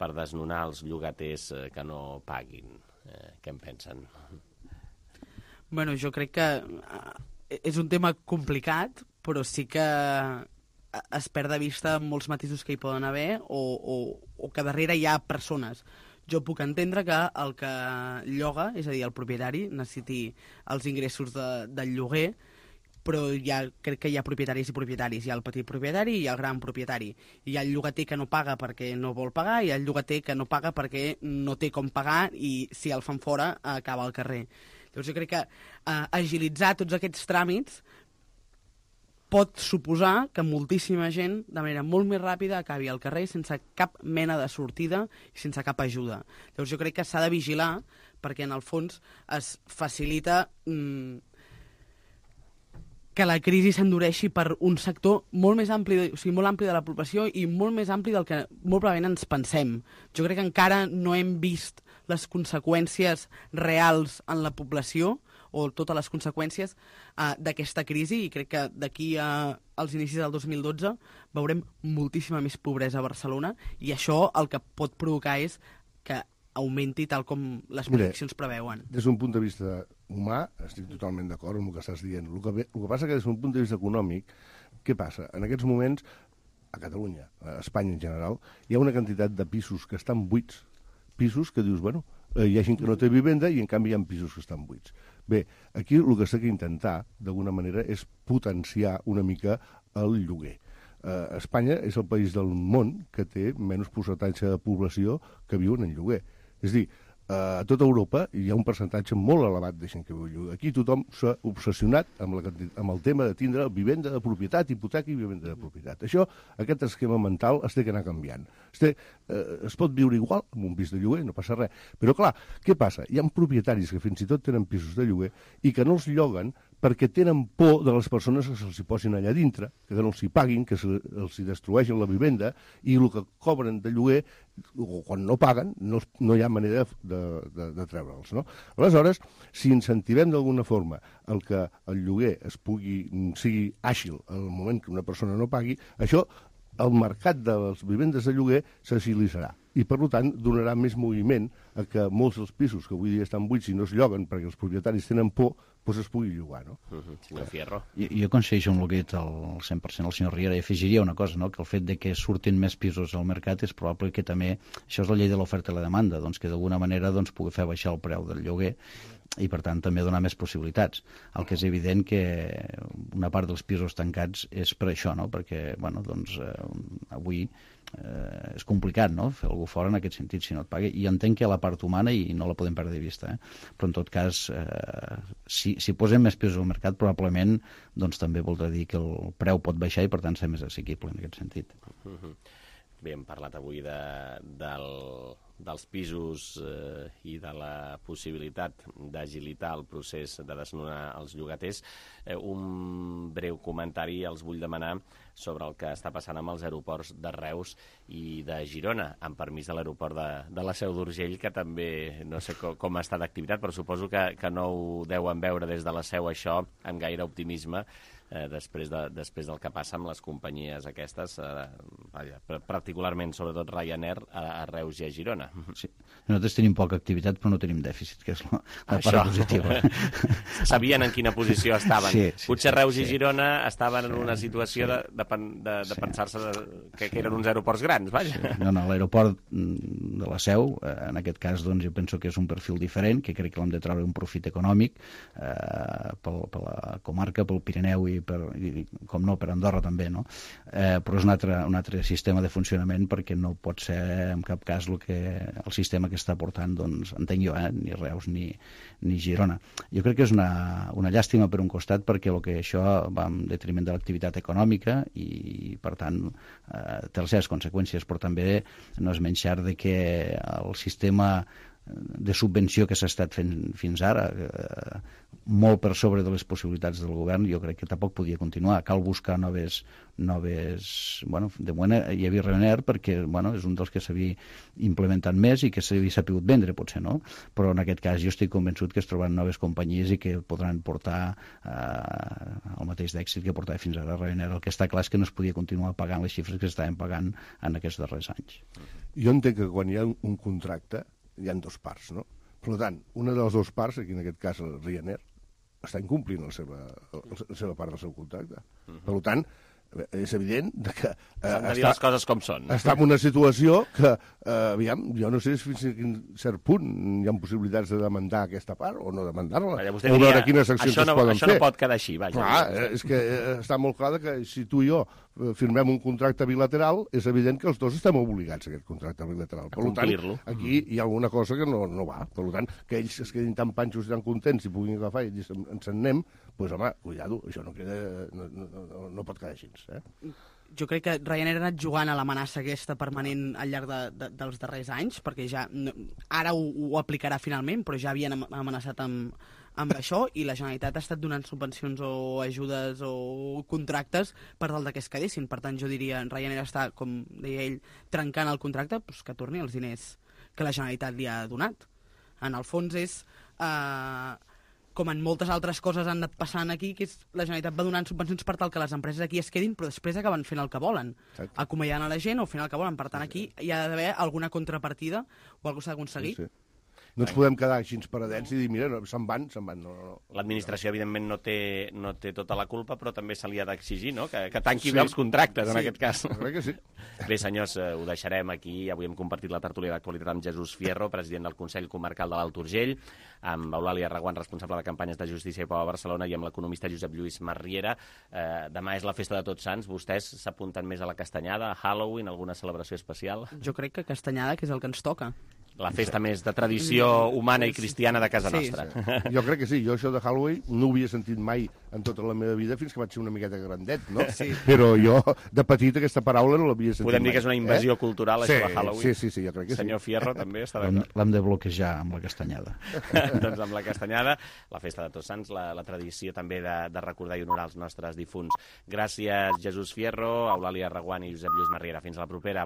per desnonar els llogaters que no paguin. Què en pensen? Bueno, jo crec que és un tema complicat, però sí que es perd de vista molts matisos que hi poden haver o que darrere hi ha persones. Jo puc entendre que el que lloga, és a dir, el propietari, necessiti els ingressos del lloguer, però crec que hi ha propietaris i propietaris. Hi ha el petit propietari i el gran propietari. Hi ha el llogater que no paga perquè no vol pagar i hi ha el llogater que no paga perquè no té com pagar i si el fan fora acaba al carrer. Llavors jo crec que agilitzar tots aquests tràmits pot suposar que moltíssima gent, de manera molt més ràpida, acabi al carrer sense cap mena de sortida i sense cap ajuda. Llavors jo crec que s'ha de vigilar perquè en el fons es facilita que la crisi s'endureixi per un sector molt més ampli, o sigui, molt ampli de la població i molt més ampli del que molt probablement ens pensem. Jo crec que encara no hem vist les conseqüències reals en la població o totes les conseqüències d'aquesta crisi, i crec que d'aquí als inicis del 2012 veurem moltíssima més pobresa a Barcelona, i això el que pot provocar és que augmenti tal com les projeccions preveuen. Des d'un punt de vista humà, estic totalment d'acord amb el que estàs dient. El que passa que des d'un punt de vista econòmic, què passa? En aquests moments, a Catalunya, a Espanya en general, hi ha una quantitat de pisos que estan buits, pisos que dius, bueno, hi ha gent que no té vivenda i en canvi hi ha pisos que estan buits. Bé, aquí el que s'ha d'intentar, d'alguna manera, és potenciar una mica el lloguer. Espanya és el país del món que té menys percentatge de població que viuen en lloguer. És a dir, a tota Europa hi ha un percentatge molt elevat de gent que viu en lloguer. Aquí tothom s'ha obsessionat amb el tema de tindre vivenda de propietat, hipoteca i vivenda de propietat. Aquest esquema mental es té que anar canviant. Es pot viure igual amb un pis de lloguer, no passa res. Però clar, què passa? Hi ha propietaris que fins i tot tenen pisos de lloguer i que no els lloguen perquè tenen por de les persones que se'ls posin allà dintre, que no els hi paguin, que els hi destrueixen la vivenda, i el que cobren de lloguer, o quan no paguen, no hi ha manera de treure'ls, no? Aleshores, si incentivem d'alguna forma el que el lloguer sigui àgil al moment que una persona no pagui, això, el mercat de les vivendes de lloguer s'agilitzarà i, per tant, donarà més moviment a que molts dels pisos que avui dia estan buits i no es lloguen perquè els propietaris tenen por, doncs es pugui llogar, no? Senyor Fierro. Jo coincideixo amb el que ha dit al 100% el senyor Riera, i afegiria una cosa, no? Que el fet de que surtin més pisos al mercat és probable que també, això és la llei de l'oferta i la demanda, doncs que d'alguna manera pugui fer baixar el preu del lloguer i, per tant, també donar més possibilitats. El que és evident que una part dels pisos tancats és per això, no? Perquè, bueno, doncs, avui és complicat, no?, fer algú fora en aquest sentit si no et paga, i entenc que hi ha la part humana i no la podem perdre de vista, però en tot cas si posem més pisos al mercat probablement doncs també voldrà dir que el preu pot baixar i per tant ser més assequible en aquest sentit. Bé, hem parlat avui dels pisos i de la possibilitat d'agilitar el procés de desnonar els llogaters. Un breu comentari els vull demanar sobre el que està passant amb els aeroports de Reus i de Girona, amb permís de l'aeroport de la Seu d'Urgell, que també no sé com està d'activitat, però suposo que no ho deuen veure des de la Seu això amb gaire optimisme, després del que passa amb les companyies aquestes, particularment, sobretot Ryanair, a Reus i a Girona. Sí. Nosaltres tenim poca activitat, però no tenim dèficit, que és la part positiva. Sabien en quina posició estaven. Sí, potser Reus i Girona estaven en una situació de pensar-se que eren uns aeroports grans, vaja. No, l'aeroport de la Seu, en aquest cas, doncs, jo penso que és un perfil diferent, que crec que l'hem de treure un profit econòmic per la comarca, pel Pirineu i com no, per Andorra també, no? Però és un altre sistema de funcionament perquè no pot ser en cap cas el sistema que està portant, doncs, entenc jo, ni Reus ni Girona. Jo crec que és una llàstima per un costat perquè això va en detriment de l'activitat econòmica i, per tant, té les seves conseqüències, però també no és menys cert que el sistema de subvenció que s'ha estat fent fins ara, molt per sobre de les possibilitats del govern, jo crec que tampoc podia continuar. Cal buscar noves... Bueno, de moment hi havia Ryanair perquè, bueno, és un dels que s'havia implementat més i que s'havia sapigut vendre, potser, no? Però en aquest cas jo estic convençut que es trobaran noves companyies i que podran portar el mateix d'èxit que portava fins ara Ryanair. El que està clar és que no es podia continuar pagant les xifres que s'estaven pagant en aquests darrers anys. Jo entenc que quan hi ha un contracte hi ha dues parts, no? Per tant, una de les dues parts, aquí en aquest cas el Ryanair, està incomplint la seva part del seu contracte. Per tant, és evident que s'han de dir les coses com són. Està en una situació que, aviam, jo no sé fins a quin cert punt hi ha possibilitats de demandar aquesta part o no demandar-la, o veure quines accions es poden fer. Això no pot quedar així, vaja. Clar, és que està molt clar que si tu i jo firmem un contracte bilateral, és evident que els dos estem obligats a aquest contracte bilateral. Per tant, aquí hi ha alguna cosa que no va. Per tant, que ells es quedin tan panxos i tan contents i puguin agafar i dir ens en anem, doncs home, cuidado, això no pot quedar així. Jo crec que Ryanair ha anat jugant a l'amenaça aquesta permanent al llarg dels darrers anys, perquè ja ara ho aplicarà finalment, però ja havien amenaçat amb això, i la Generalitat ha estat donant subvencions o ajudes o contractes per tal que es quedessin. Per tant, jo diria, Ryanair està, com deia ell, trencant el contracte, doncs que torni els diners que la Generalitat li ha donat. En el fons és... com en moltes altres coses han anat passant aquí, que la Generalitat va donant subvencions per tal que les empreses aquí es quedin, però després acaben fent el que volen. Acomiadant a la gent o fent el que volen. Per tant, aquí hi ha d'haver alguna contrapartida o alguna cosa s'ha d'aconseguir. No ens podem quedar així paradets i dir, mira, se'n van. L'administració, evidentment, no té tota la culpa, però també se li ha d'exigir, no?, que tanqui bé els contractes, en aquest cas. Crec que sí. Bé, senyors, ho deixarem aquí. Avui hem compartit la tertúlia d'actualitat amb Jesús Fierro, president del Consell Comarcal de l'Alt Urgell, amb Eulàlia Reguant, responsable de campanyes de justícia i pau a Barcelona, i amb l'economista Josep Lluís Marriera. Demà és la festa de Tots Sants. Vostès s'apunten més a la castanyada, a Halloween, alguna celebració especial? Jo crec que castanyada, que és el que ens toca. La festa més de tradició humana i cristiana de casa nostra. Sí. Jo crec que sí. Jo això de Halloween no ho havia sentit mai en tota la meva vida fins que vaig ser una miqueta grandet, no? Sí. Però jo, de petit, aquesta paraula no l'havia sentit mai. Podem dir que és una invasió cultural, això de Halloween? Sí, jo crec que sí. Senyor Fierro, també està d'acord? L'hem de bloquejar amb la castanyada. Doncs amb la castanyada, la festa de Tots Sants, la tradició també de recordar i honorar els nostres difunts. Gràcies, Jesús Fierro, Eulàlia Reguant i Josep Lluís Marriera. Fins a la propera.